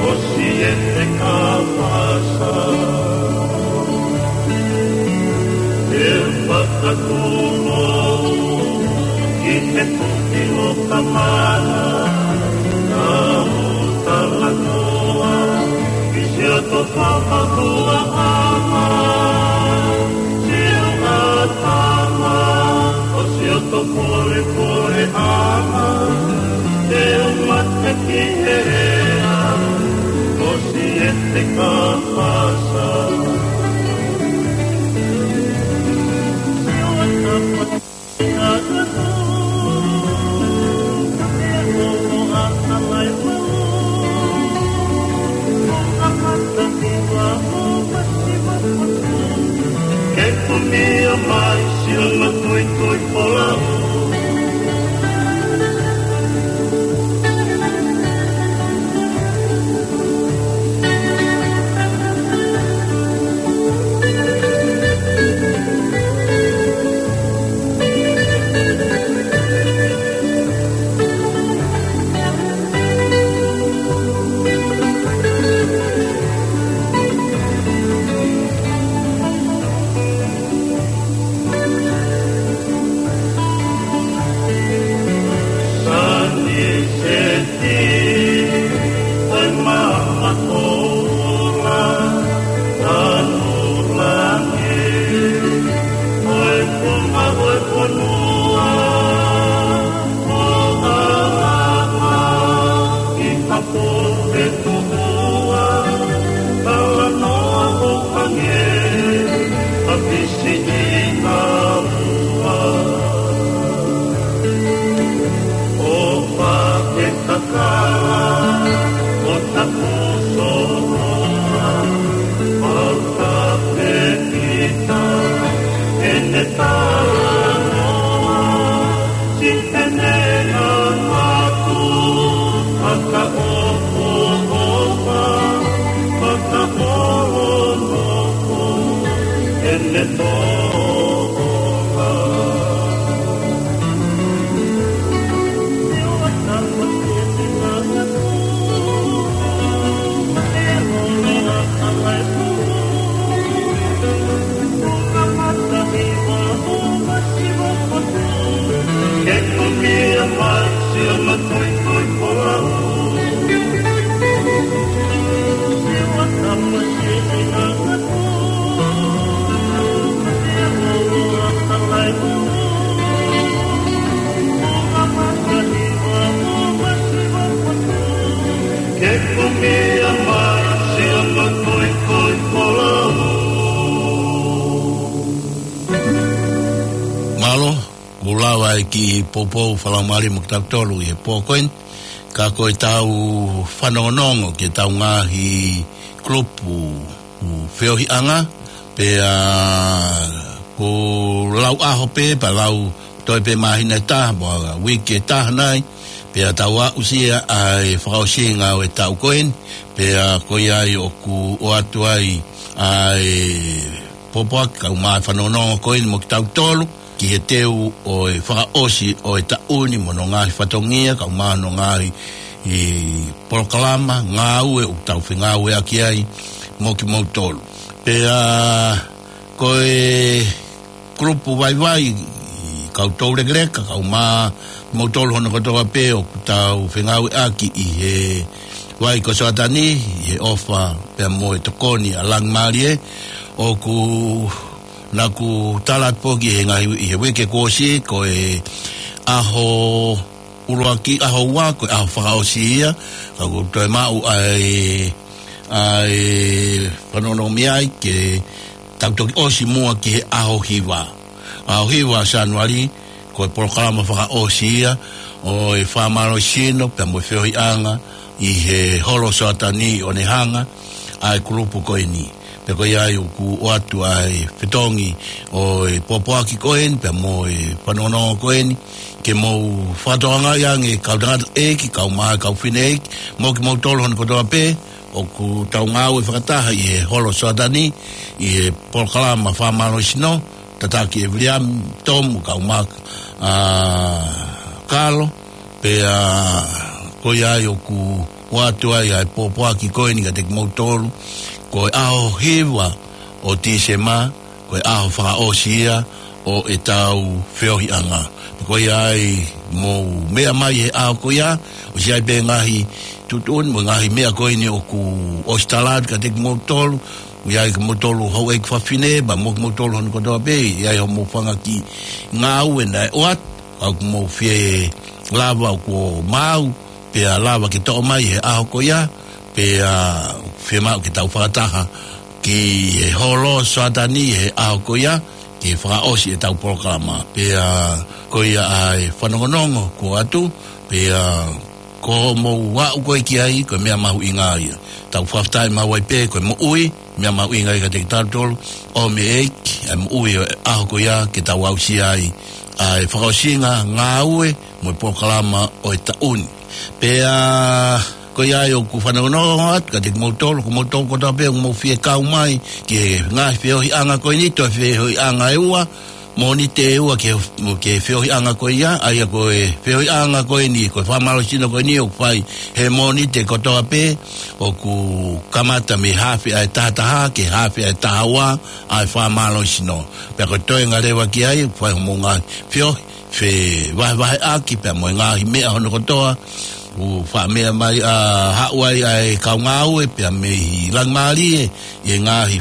ʻOsi e te kapasa, e fakatulo, ki he tuki o tamana, ka u talanoa, ki si o to papakua ama, si o atama, ʻo si o to pole pole ama, te u mate ki he ea, ʻosi e te kapasa. Ke kumia mai sio ma tui tui pola. Mālō, kuo lava e kiʻi poupou fakalaumālie mo kitautolu ʻi he pō ko eni. Ka ko e tau fanongonongo ki he tau ngaahi kulupu feohiʻanga, pea ko e lau ʻaho pē, pea lau toe pē māhina ʻe taha, mo e uike ʻe taha nai, pea tau aʻusia ʻa e fakaʻosinga ʻo e taʻu ko eni, pea ko ia ai ʻoku ʻoatu ai ʻa e pōpoaki kae ʻumaʻā e fanongonongo ko eni mo kitautolu, ki he teu ʻo e fakaʻosi ʻo e taʻu ni mo hono ngaahi fatongia, kae ʻumaʻā hono ngaahi polokalama, ngāue ʻoku tau fengāueʻaki ai mo kimoutolu. Pea ko e kulupu vaivai, kau toulekeleka, kae ʻumaʻā kimoutolu hono kotoa pē ʻoku tau fengāueʻaki ʻi he vai ko Soatani, ʻi he ʻofa pea mo e tokoni ʻa Langimālie, ʻoku naʻá ku tala atu pē ki he ngaahi, ʻi he uike kuo ʻosi, ko e ʻaho ʻuluaki, ʻaho ua, ko e ʻaho fakaʻosi ia, ka kuo toe maʻu ʻa e, ʻa e fanongonongo mei ai ke tau toki ʻosi muʻa ki he ʻaho hiva. ʻAho hiva Sānuali, ko e polokalama fakaʻosi ia ʻo e fakamālohisino pea mo e feohiʻanga ʻi he holo Soatani ʻo ne hanga ʻa e kulupu ko eni. Pea ko ia ai ʻoku ʻoatu ʻa e fetongi ʻo e pōpoaki ko eni pea mo e fanongonongo ko eni, ke mou fakatokangaʻi ange kau tangataʻeiki, kau mā, kau fineʻeiki, mo kimoutolu hono kotoa pē, ʻoku tau ngāue fakataha ʻi he holo Soatani, ʻi he polokalama fakamālohisino, tataki ʻe Viliami Tomu, kau mā, ʻa Kalo, pea Ko ia ai ʻoku ʻoatu ai ʻa e pōpoaki ko eni kiate kimoutolu, ko e ʻaho hiva ʻo Tīsema, ko e ʻaho fakaʻosi ia ʻo ʻetau feohiʻanga. Ko ia ai mou meʻa mai he ʻaho ko ia, ʻosi ʻi ai pē ngaahi tuʻutuʻuni mo e ngaahi meʻa ko eni ʻoku ʻosi tala atu kiate kimoutolu, ʻoku ʻi ai kimoutolu houʻeiki fafine, pea mo kimoutolu hono kotoa pē, ʻi ai hoʻomou fanga kiʻi ngāue naʻe ʻoatu, ʻoku mou fie lava ʻo maʻu, pea lava ke toʻo mai he ʻaho ko ia, pea fiemaʻu ke tau fakataha ki he holo Soatani he ʻaho ko ia, ke fakaʻosi ʻetau polokalama. Pea ko ia ʻa e fanongonongo kuo ʻoatu, pea ko hoʻomou aʻu ko ē ki ai, ko e meʻa mahuʻinga ia. Tau fakafetaʻi maʻu ai pē, ko e moʻui, meʻa mahuʻinga ia kiate kitautolu, ʻomi ʻe he ʻEiki ʻa e moʻui ʻo e ʻaho ko ia ke tau aʻusia ai ʻa e fakaʻosinga ngāue mo e polokalama ʻo e taʻu ni. Pea ko ia ai ʻoku fanongonongo atu kiate kimoutolu, ko moutolu kotoa pē ʻoku mou fie kau mai ki he ngaahi feohiʻanga ko eni, toe feohiʻanga ʻe ua, Mōnite ʻe ua ki he, ki he feohiʻanga ko ia, ʻa ia ko e feohiʻanga ko eni, ko e fakamālohisino ko eni ʻoku fai he Mōnite kotoa pē, ʻoku kamata mei he hafe ʻa e taha taha ki he hafe ʻa e taha ua ʻa e fakamālohisino. Pea ko e toenga leva ki ai, ʻoku fai hoʻomou ngaahi feohi, fevahevaheʻaki pea mo e ngaahi meʻa hono kotoa, ʻoku faʻa meʻa mai ʻa haʻu ai ʻa e kau ngāue pea mei he Langimālie ʻi he ngaahi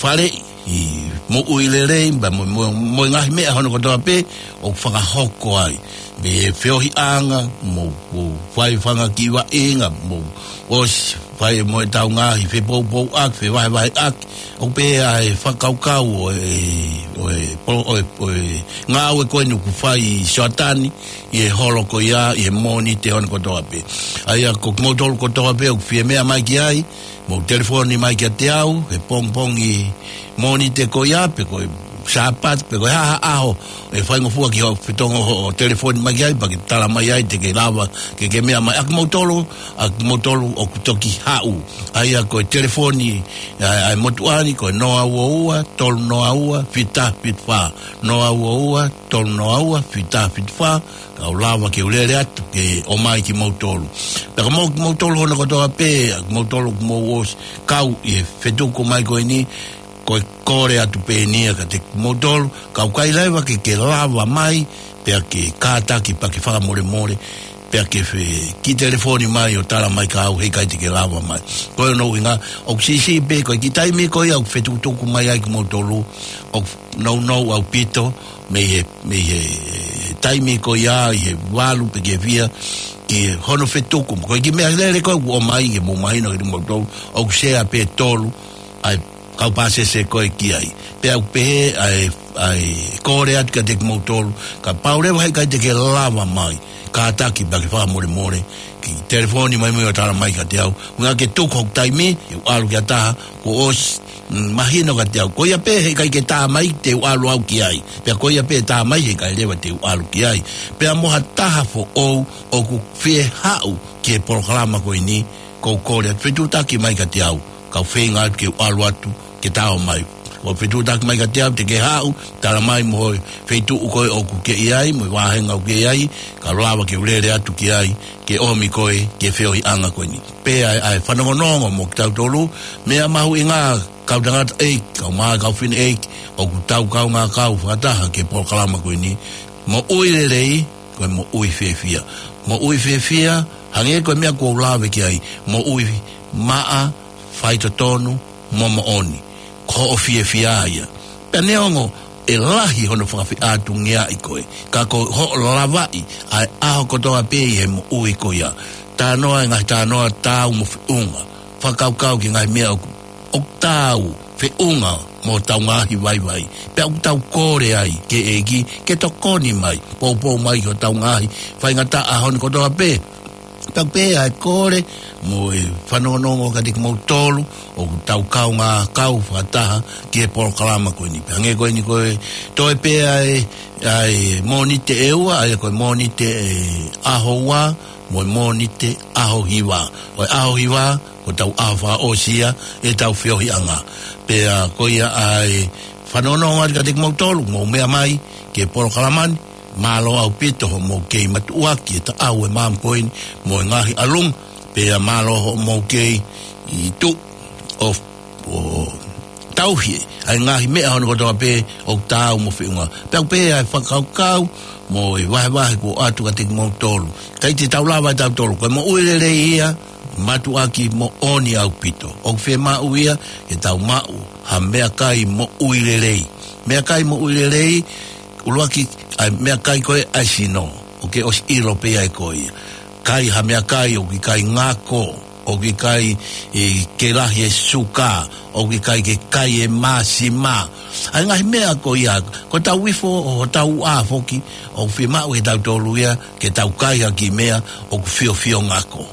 faleʻi, ʻi he moʻui lelei, pea mo, mo, mo e ngaahi meʻa hono kotoa pē ʻoku fakahoko ai. Mei he feohiʻanga, mo, mo fai fanga kiʻi vaʻinga, mo ʻosi fai mo ʻetau ngaahi fepoupouʻaki, fevahevaheʻaki, ʻoku pehē ʻa e fakakaukau ʻo e, ʻo e, ʻo e, ʻo e ngāue ko eni ʻoku fai ʻi Soatani, ʻi he holo ko ia, ʻi he Mōnite hono kotoa pē. ʻA ia ko kimoutolu kotoa pē ʻoku fie meʻa mai ki ai, mou telefoni mai kiate au he pongipongi Mōnite ko ia, pe ko e Sāpate, pe ko e hā ha ʻaho ʻe faingofua ki hoʻo fetongo hoʻo telefoni mai ki ai, pea ke tala mai ai te ke lava ke ke meʻa mai. ʻA kimoutolu, ʻa kimoutolu ʻoku toki haʻu, ʻa ia ko e telefoni ʻa, ʻa e motuʻa ni, ko e noa ua ua, tolu noa ua, fitu taha fitu fā, noa ua ua, tolu noa ua, fitu taha fitu fā, kau lava ke u lele atu ke ʻomai kimoutolu. Pea ko mo-, kimoutolu hono kotoa pē, ʻa kimoutolu ʻoku mou ʻosi kau ʻi he fetuku mai ko eni, ko e kole atu pē eni ia kiate kimoutolu, kau ʻikai leva ke ke lava mai, pea ke kātaki pea ke fakamolemole, pea ke fie kiʻi telefoni mai ʻo tala mai kia au heʻikai te ke lava mai. Ko hono ʻuhinga, ʻoku siʻisiʻi pē ko e kiʻi taimi ko ia ʻoku fetukutuku mai ai kimoutolu, ʻoku nounou ʻaupito mei he, mei he taimi ko ia ʻi he valu pe ke fiha ki hono fetuku. Ko e kiʻi meʻa lele ko ē ʻoku ʻomai ke mou mahino kiate kimoutolu, ʻoku sea pē tolu ʻa e kau pāsese ko ē ki ai. Pea ʻoku pehē ʻa e, ʻa e kole atu kiate kimoutolu, kapau leva heʻikai te ke lava mai, kātaki pea ke fakamolemole, kiʻi telefoni mai mo ʻo tala mai kiate au. Ua ke tuku hoku taimi, ke u ʻalu ki ha taha, kuo ʻosi, mm, mahino kiate au. Ko ia pē heʻikai ke tā mai te u ʻalu au ki ai. Pea ko ia pē tā mai heʻikai leva te u ʻalu ki ai. Pea mo ha taha foʻou ʻoku fie haʻu ki he polokalama ko eni, ko u kole atu, fetuʻutaki mai kiate au, kau feinga atu ke u ʻalu atu ke tā mai. ʻO fetuʻutaki mai kiate au te ke haʻu, tala mai mo e feituʻu ko ē ʻoku ke ʻi ai, mo e vāhenga ʻoku ke ʻi ai, kau lava ke u lele atu ki ai, ke ʻomi koe ki he feohiʻanga ko eni. Pea ʻa e, ʻa e fanongonongo mo kitautolu, meʻa mahuʻinga, kau tangataʻeiki, kau mā, kau fineʻeiki, ʻoku tau kaungā kau fakataha ki he polokalama ko eni, moʻui lelei, ko e moʻui fiefia. Moʻui fiefia, hangē ko e meʻa kuo u lave ki ai, moʻui maʻa, faitotonu, mo moʻoni. Ko hoʻo fiefia ia. Pea neongo ʻe lahi hono fakafeʻātungiaʻi koe, ka ko hoʻo lavaʻi ʻa e ʻaho kotoa pē ʻi he moʻui ko ia. Talanoa e ngaahi talanoa taau mo feʻunga. Fakakaukau ki he ngaahi meʻa ʻoku ʻoku taau feʻunga mo hotau ngaahi vaivai. Pea ʻoku tau kole ai ki he ʻEiki ke tokoni mai, poupou mai ki hotau ngaahi faingataʻa hono kotoa pē. Pea ʻoku pehē ʻa e kole mo e fanongonongo kiate kimoutolu ʻoku tau kaungā kau fakataha ki he polokalama ko eni. Pea hangē ko eni ko e toe pē ʻa e, ʻa e Mōnite ʻe ua, ʻa ia ko e Mōnite ʻaho ua, mo e Mōnite ʻaho hiva. Ko e ʻaho hiva, ko hotau ʻaho fakaʻosi ia ʻetau feohiʻanga. Pea ko ia ʻa e fanongonongo atu kiate kimoutolu, mou meʻa mai ki he polokalama ni, Mālō ʻaupito hoʻomou kei mātuʻaki e taʻau e maama ko eni mo e ngaahi ʻalunga, pea mālō hoʻomou kei tuʻu ʻo, ʻo tauhi ʻa e ngaahi meʻa hono kotoa pē ʻoku taau mo feʻunga. Pea ʻoku pehē ʻa e fakakaukau mo e vahevahe kuo ʻoatu kiate kimoutolu. ʻIkai te tau lava ʻe tautolu, ko e moʻui lelei ia, mātuʻaki moʻoni ʻaupito. ʻOku fiemaʻu ia ke tau maʻu ha meʻakai moʻui lelei. Meʻakai moʻui lelei, ʻuluaki, ʻa e meʻakai ko ē ʻa e sino, ʻoku ke ʻosi ʻilo pē ʻe koe ia. Kai ha meʻakai ʻoku ʻikai ngako, ʻoku ʻikai, ē, ke lahi e suka, ʻoku ʻikai ke kai e māsima. ʻA e ngaahi meʻa ko ia, ko hotau ifo ʻo hotau ʻā foki, ʻoku fiemaʻu ʻe tautolu ia ke tau kai ha kiʻi meʻa ʻoku fiofio ngako.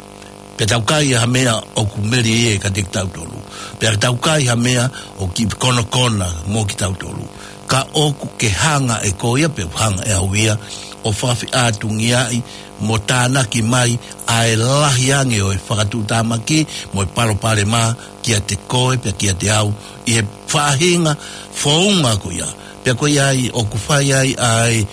Pea tau kai ha meʻa ʻoku melie kiate kitautolu. Pea tau kai ha meʻa ʻoku kiʻi konokona mo kitautolu. Ka ʻoku ke hanga ʻe koe ia, pea ʻoku hanga ʻe au ia, ʻo fakafeʻātungiaʻi mo tānaki mai ʻa e lahi ange ʻo e fakatuʻutāmaki mo e palopalema kiate koe pea kiate au ʻi he faʻahinga founga ko ia. Pea ko ia ai ʻoku fai ai ʻa e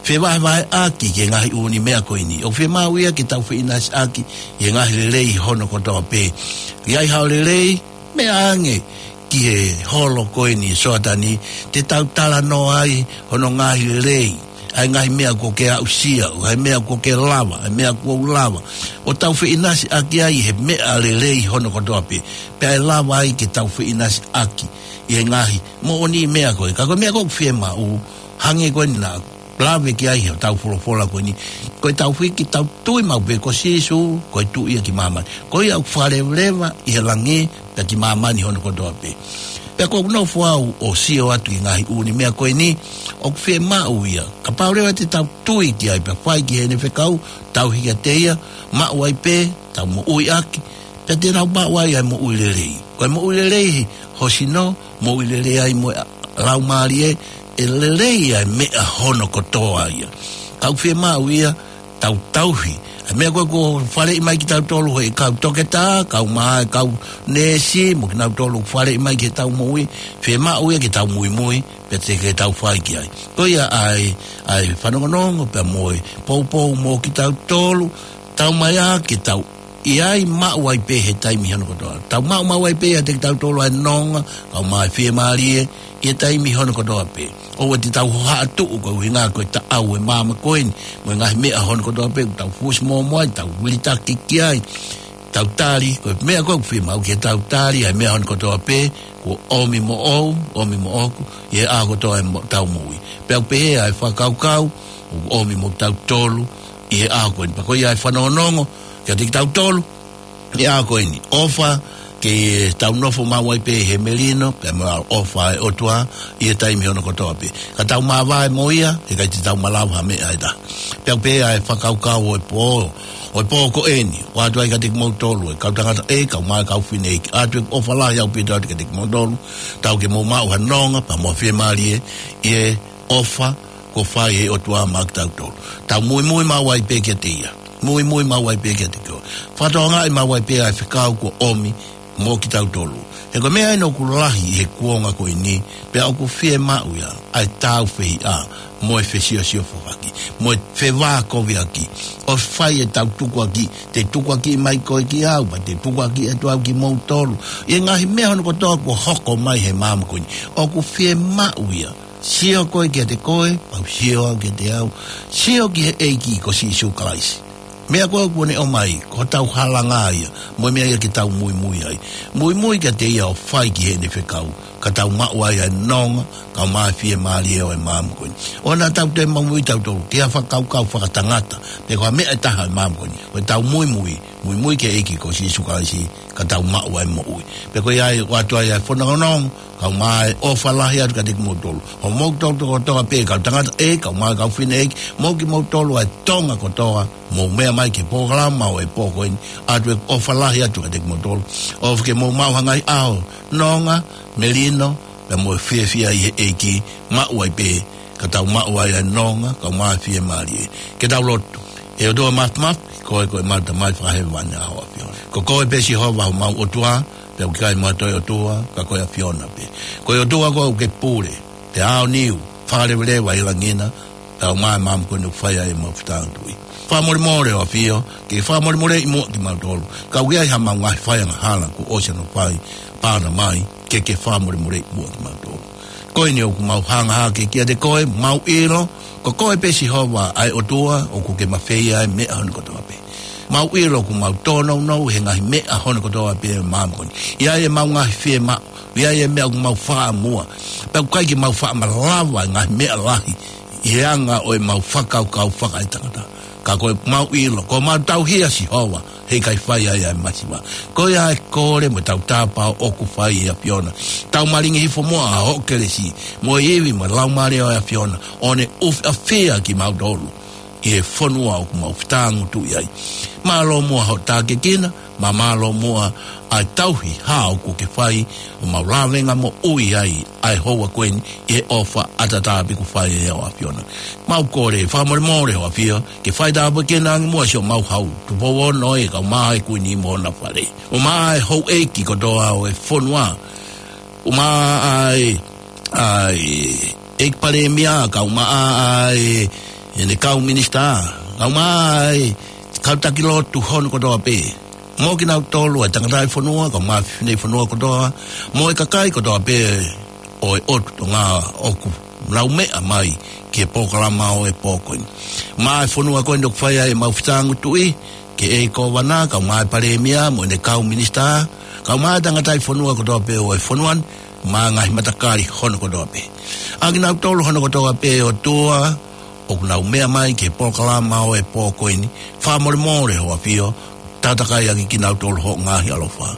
fevahevaheʻaki ki he ngaahi ʻū meʻa ko eni. ʻOku fiemaʻu ia ke tau feʻinasiʻaki ʻi he ngaahi lelei hono kotoa pē. ʻI ai haʻo lelei, meʻa ange ki he holo ko eni ʻo Soatani, te tau talanoa ai hono ngaahi lelei. ʻA e ngaahi meʻa kuo ke aʻusia, ʻa e meʻa kuo ke lava, ʻa e meʻa kuo u lava. ʻO tau feʻinasiʻaki ai he meʻa lelei hono kotoa pē. Pea ʻe lava ai ke tau feʻinasiʻaki ʻi he ngaahi moʻoni meʻa ko ē. Ka ko e meʻa ko ē ʻoku fiemaʻu, hangē ko eni naʻa lave ki ai hotau folofola ko eni. Ko e tau fiki tau tui maʻu pē ko Sīsū, ko e Tuʻi ia ki māmani. Ko ia ʻoku fakalevaleva ʻi he langi, pea ki māmani hono kotoa pē. Pea ko ʻeku nofo au ʻo sio atu ʻi he ngaahi ʻū meʻa ko eni, ʻoku fiemaʻu ia. Kapau leva te tau tui ki ai pea fai ki heʻene fekau, tauhi kiate ia, maʻu ai pē, tau moʻui ʻaki, pea te tau maʻu ai ʻa e moʻui lelei. Ko e moʻui lelei ho sino, moʻui lelei ai mo e laumālie, ʻe lelei ʻa e meʻa hono kotoa ia. Ka ʻoku fiemaʻu ia, tau tauhi. ʻA e meʻa ko ē kuo faleʻi mai kitautolu ʻe he kau toketā, kau mai, kau neesi, mo kinautolu faleʻi mai ke tau moʻui, fiemaʻu ia ke tau muimui, pea te ke tau fai ki ai. Ko ia ʻa e, ʻa e fanongonongo, pea mo e poupou mo kitautolu, tau mai ā ke tau ʻi ai maʻu ai pē he taimi hono kotoa. Tau maʻu maʻu ai pē ʻiate kitautolu ʻa e nonga, kau mai fiemālie, ʻi he taimi hono kotoa pē. ʻOua te tau hohaʻa tuʻu koeʻuhi ko e taʻau e maama ko eni, mo e ngaahi meʻa hono kotoa pē, tau fusi mōmoa ai, tau vilitaki ki ai, tau tali, ko e meʻa ko ē ʻoku fiemaʻu ke tau tali, ʻa e meʻa hono kotoa pē, kuo ʻomi moʻou, ʻomi moʻoku, ʻi he ʻaho kotoa ʻetau moʻui. Pea ʻoku pehē ʻa e fakakaukau, ʻoku ʻomi mo kitautolu, ʻi he ʻaho ko eni. Pea ko ia ʻa e fanongonongo, kiate kitautolu, ʻi he ʻaho ko eni. ʻOfa, ke tau nofo maʻu ai pē he melino, pea mo e ʻofa ʻa e ʻOtua, ʻi he taimi hono kotoa pē. Ka tau māvae mo ia, heʻikai te tau malava ha meʻa ʻe taha. Pea ʻoku pehē ʻa e fakakaukau ʻo e pō, ʻo e pō ko eni, ʻoatu ai kiate kimoutolu, ʻe kau tangata ʻeiki, kau mai, kau fineʻeiki. ʻOatu ʻeku ʻofa lahi ʻaupito atu kiate kimoutolu, tau ke mou maʻu ha nonga, pea mo e fiemālie, ʻi he ʻofa, kuo fai ʻe he ʻOtua maʻa kitautolu. Tau muimui maʻu ai pē kiate ia. Muimui maʻu ai pē kiate koe. Fakatokangaʻi maʻu ai pē ʻa e fekau kuo ʻomi mo kitautolu. He ko e meʻa eni ʻoku lahi he kuonga ko eni, pea ʻoku fiemaʻu ia, ʻa e tāufehiʻa, mo e fesiosiofaki, mo e fevākoviʻaki. ʻO fai ʻetau tukuakiʻi, te tukuakiʻi mai koe kia au, pea te tukuakiʻi atu au kimoutolu. ʻI he ngaahi meʻa hono kotoa kuo hoko mai he maama ko eni. ʻOku fiemaʻu ia. Sio koe kiate koe, pea u sio au kiate au. Sio ki he ʻEiki ko Sīsū Kalaisi. Meʻa ko ē kuo ne ʻomai, ko hotau halanga ia, mo e meʻa ia ke tau muimui ai. Muimui kiate ia ʻo fai ki heʻene fekau, ka tau maʻu ai ʻa e nonga, kau mai ʻa e fiemālie ʻo e maama ko eni. ʻOua naʻa tau toe muimui tautolu, ki ha fakakaukau fakatangata, pe ko ha meʻa ʻe taha ʻo e maama ko eni. Ko ʻetau muimui, muimui ki he ʻEiki ko Sīsū Kalaisi, ka tau maʻu ʻa e moʻui. Pea ko ia ai, ʻoatu ai ʻa e fanongonongo, kau mai ʻofa lahi atu kiate kimoutolu. Hoʻomou tau toko toa pē, kau tangata ʻeiki, kau mai kau fineʻeiki, mo kimoutolu ʻa e Tonga kotoa, mou meʻa mai ki he polokalama ʻo e pō ko eni, ʻoatu ʻeku ʻofa lahi atu kiate kimoutolu. ʻOfa ke mou maʻu ha ngaahi ʻaho, nonga, melino, pea mo e fiefia ʻi he ʻEiki, maʻu ai pē, ka tau maʻu ai ʻa e nonga, kau mai ʻa e fiemālie. Ke tau lotu. ʻE ʻOtua Māfimafi, ko koe ko e ʻemau Tamai fakahēvani, ʻa hoʻo ʻAfiona. Ko koe pē Sihova homau ʻOtua, pea ʻoku ʻikai mo ha toe ʻOtua, ka ko e ʻAfiona pē. Ko e ʻOtua koe ʻoku ke pule, te aoniu, fakalevaleva ʻi langi na, Pea ʻomai e maama ko eni ʻoku fai ai ʻemau fetangatuʻi. Fakamolemole ʻo e ʻAfio, ke fakamolemoleʻi muʻa kimautolu. Ka ʻoku ʻi ai haʻamau ngaahi faiangahala kuo ʻosi hono fai, pāna mai, ke ke fakamolemoleʻi muʻa kimautolu. Ko eni ʻoku mau hanga hake kiate koe, mau ʻilo, ko koe pē Sihova ʻa e ʻOtua, ʻoku ke mafeia ʻa e meʻa hono kotoa pē. Mau ʻilo ʻoku mau tōnounou he ngaahi meʻa hono kotoa pē ʻo e maama ko eni. ʻI ai ʻemau ngaahi fiemaʻu, ʻi ai e meʻa ʻoku mau fakamuʻa. Pea ʻoku ʻikai ke mau fakamalava e ngaahi meʻa lahi ʻi he anga ʻo ʻemau fakakaukau fakaetangata. Ka ko ʻemau ʻilo, ko ʻemau tauhi ʻa Sihova, heʻikai fai ai ʻa e masiva. Ko ia e kole mo e tautapa ʻoku fai ʻe he ʻAfiona. Tau malingi hifo muʻa ʻa hoʻo kelesi, mo e ivi mo e laumālie ʻo e ʻAfiona, ʻo ne ʻufiʻafia kimautolu ʻi he fonua ʻoku mau fetangatuʻi ai. Mālō muʻa hoʻo tākiekina, mo mālō muʻa ʻa e tauhi hā ʻoku ke fai, ʻo mau lavenga moʻui ai ʻa e houa ko eni ʻi he ʻofa ʻataʻatā pē kuo fai ʻe he ʻAfiona. Mau kole fakamolemole ʻo e ʻAfio, ke fai tāpuekina ange muʻa siʻomau hau, Tupou Ono ē, kae ʻumaʻā e Kuini mo hona fale. ʻUmaʻā e houʻeiki kotoa ʻo e fonua. ʻUmaʻā e, ʻa e ʻEiki Palēmia, kae ʻumaʻā e, ʻene kau minisitā, kae ʻumaʻā e kau taki lotu hono kotoa pē. Mo kinautolu e tangataʻi fonua, kae ʻumaʻā e fefine fonua kotoa, mo e kakai kotoa pē ʻo e ʻOtu Tonga ʻoku nau meʻa mai ki he polokalama ʻo e pō ko eni. Mo e fonua ko eni ʻoku fai ai ʻemau fetangatuʻi, ki he ʻEiki Kōvana, kae ʻumaʻā e Palēmia, mo ʻene kau minisitā, kae ʻumaʻā e tangataʻi fonua kotoa pē ʻo e fonua ni, mo e ngaahi matakali hono kotoa pē. ʻA kinautolu hono kotoa pē ʻOtua, ʻoku nau meʻa mai ki he polokalama ʻo e pō ko eni, fakamolemole ʻo e ʻAfio, tataki ʻaki kinautolu hoʻo ngaahi ʻaloʻofa.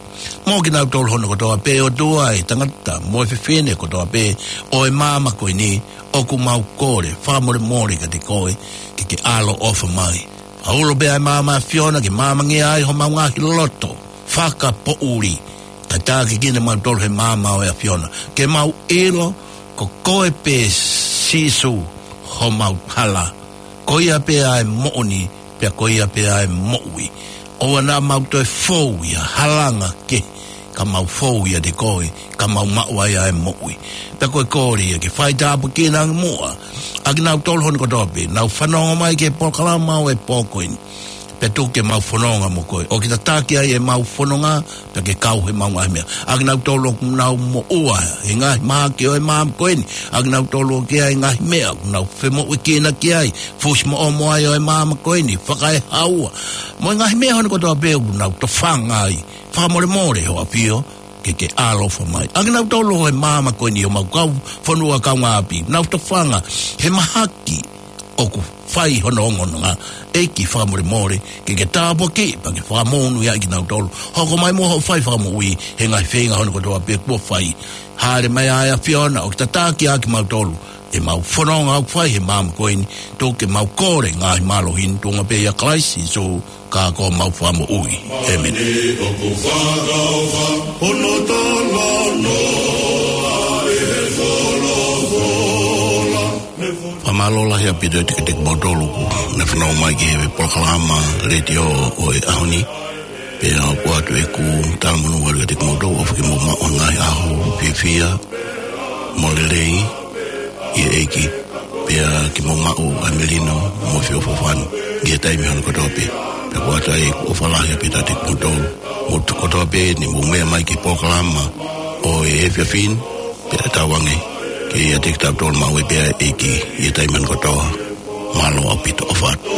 Mo kinautolu hono kotoa pē ʻOtua, e tangata mo e fefine kotoa pē ʻo e maama ko eni, ʻoku mau kole fakamolemole kiate koe, ke ke ʻaloʻofa mai. Fakaulo pē ʻa e maama ʻo e ʻAfiona ke maamangia ai homau ngaahi loto fakapoʻuli, kae tākiekina kimautolu he maama ʻo e ʻAfiona. Ke mau ʻilo, ko koe pē Sīsū homau hala. Ko ia pē ʻa e moʻoni, pea ko ia pē ʻa e moʻui. ʻOua naʻa mau toe fou ʻi ha halanga kehe, ka mau fou ʻiate koe, ka mau maʻu ai ʻa e moʻui. Pea ko e kole ia ke fai tāpuekina ange muʻa ʻa kinautolu hono kotoa pē, nau fanongo mai ki he polokalama ʻo e pō ko eni. Pea tuku ke mau fononga mo koe. ʻOku ke tataki ai ʻemau fononga, pea ke kau heʻemau ngaahi meʻa. ʻA kinautolu ʻoku nau moʻua he ngaahi mahaki ʻo e maama ko eni. ʻA kinautolu ʻoku ʻi ai e ngaahi meʻa ʻoku nau femoʻuekina ki ai. Fusi moʻomoʻa ʻo e maama ko eni, fakaehaua. Mo e ngaahi meʻa hono kotoa pē ʻoku nau tofanga ai. Fakamolemole ʻo e ʻAfio, ke ke ʻaloʻofa mai. ʻA kinautolu ʻo e maama ko eni ʻo homau kau fonua kaungāʻapi, nau tofanga he mahaki ʻoku fai hono ongoongoa. ʻEiki fakamolemole, ke ke tāpuakiʻi, pea ke fakamonūʻia ʻa kinautolu. Hoko mai muʻa hoʻo fai fakamoʻui, he ngaahi feinga hono kotoa pē kuo fai. Hāʻele mai ʻa e ʻAfiona, ʻo tataki ʻa kimautolu. ʻEmau fononga ʻoku fai he maama ko eni, tuku ke mau kole ngaahi mālohi ni, tuʻunga pē ʻia Kalaisi Sīsū, ka ko homau Fakamoʻui. ʻĒmeni. Fakamālō lahi ʻaupito kiate kimoutolu kuo ne fanongo mai ki he polokalama letiō ʻo e ʻaho ni. Pea ʻoku ʻoatu ʻeku talamonū atu kiate kimoutolu, ʻofa ke mou maʻu ha ngaahi ʻaho fiefia mo lelei ʻi he ʻEiki. Pea ke mou maʻu ʻa e melino mo e feʻofoʻofani ʻi he taimi hono kotoa pē. Pea ʻoku ʻoatu ai ʻeku ʻofa lahi ʻaupito kiate kimoutolu. Mou tuku kotoa pē ʻeni mou meʻa mai ki he polokalama ʻo e efiafi ni, pea tauange ke ʻiate kitautolu maʻu ai pē ʻa e ʻEiki ʻi he taimi hono kotoa. Mālō ʻaupito, ʻofa atu.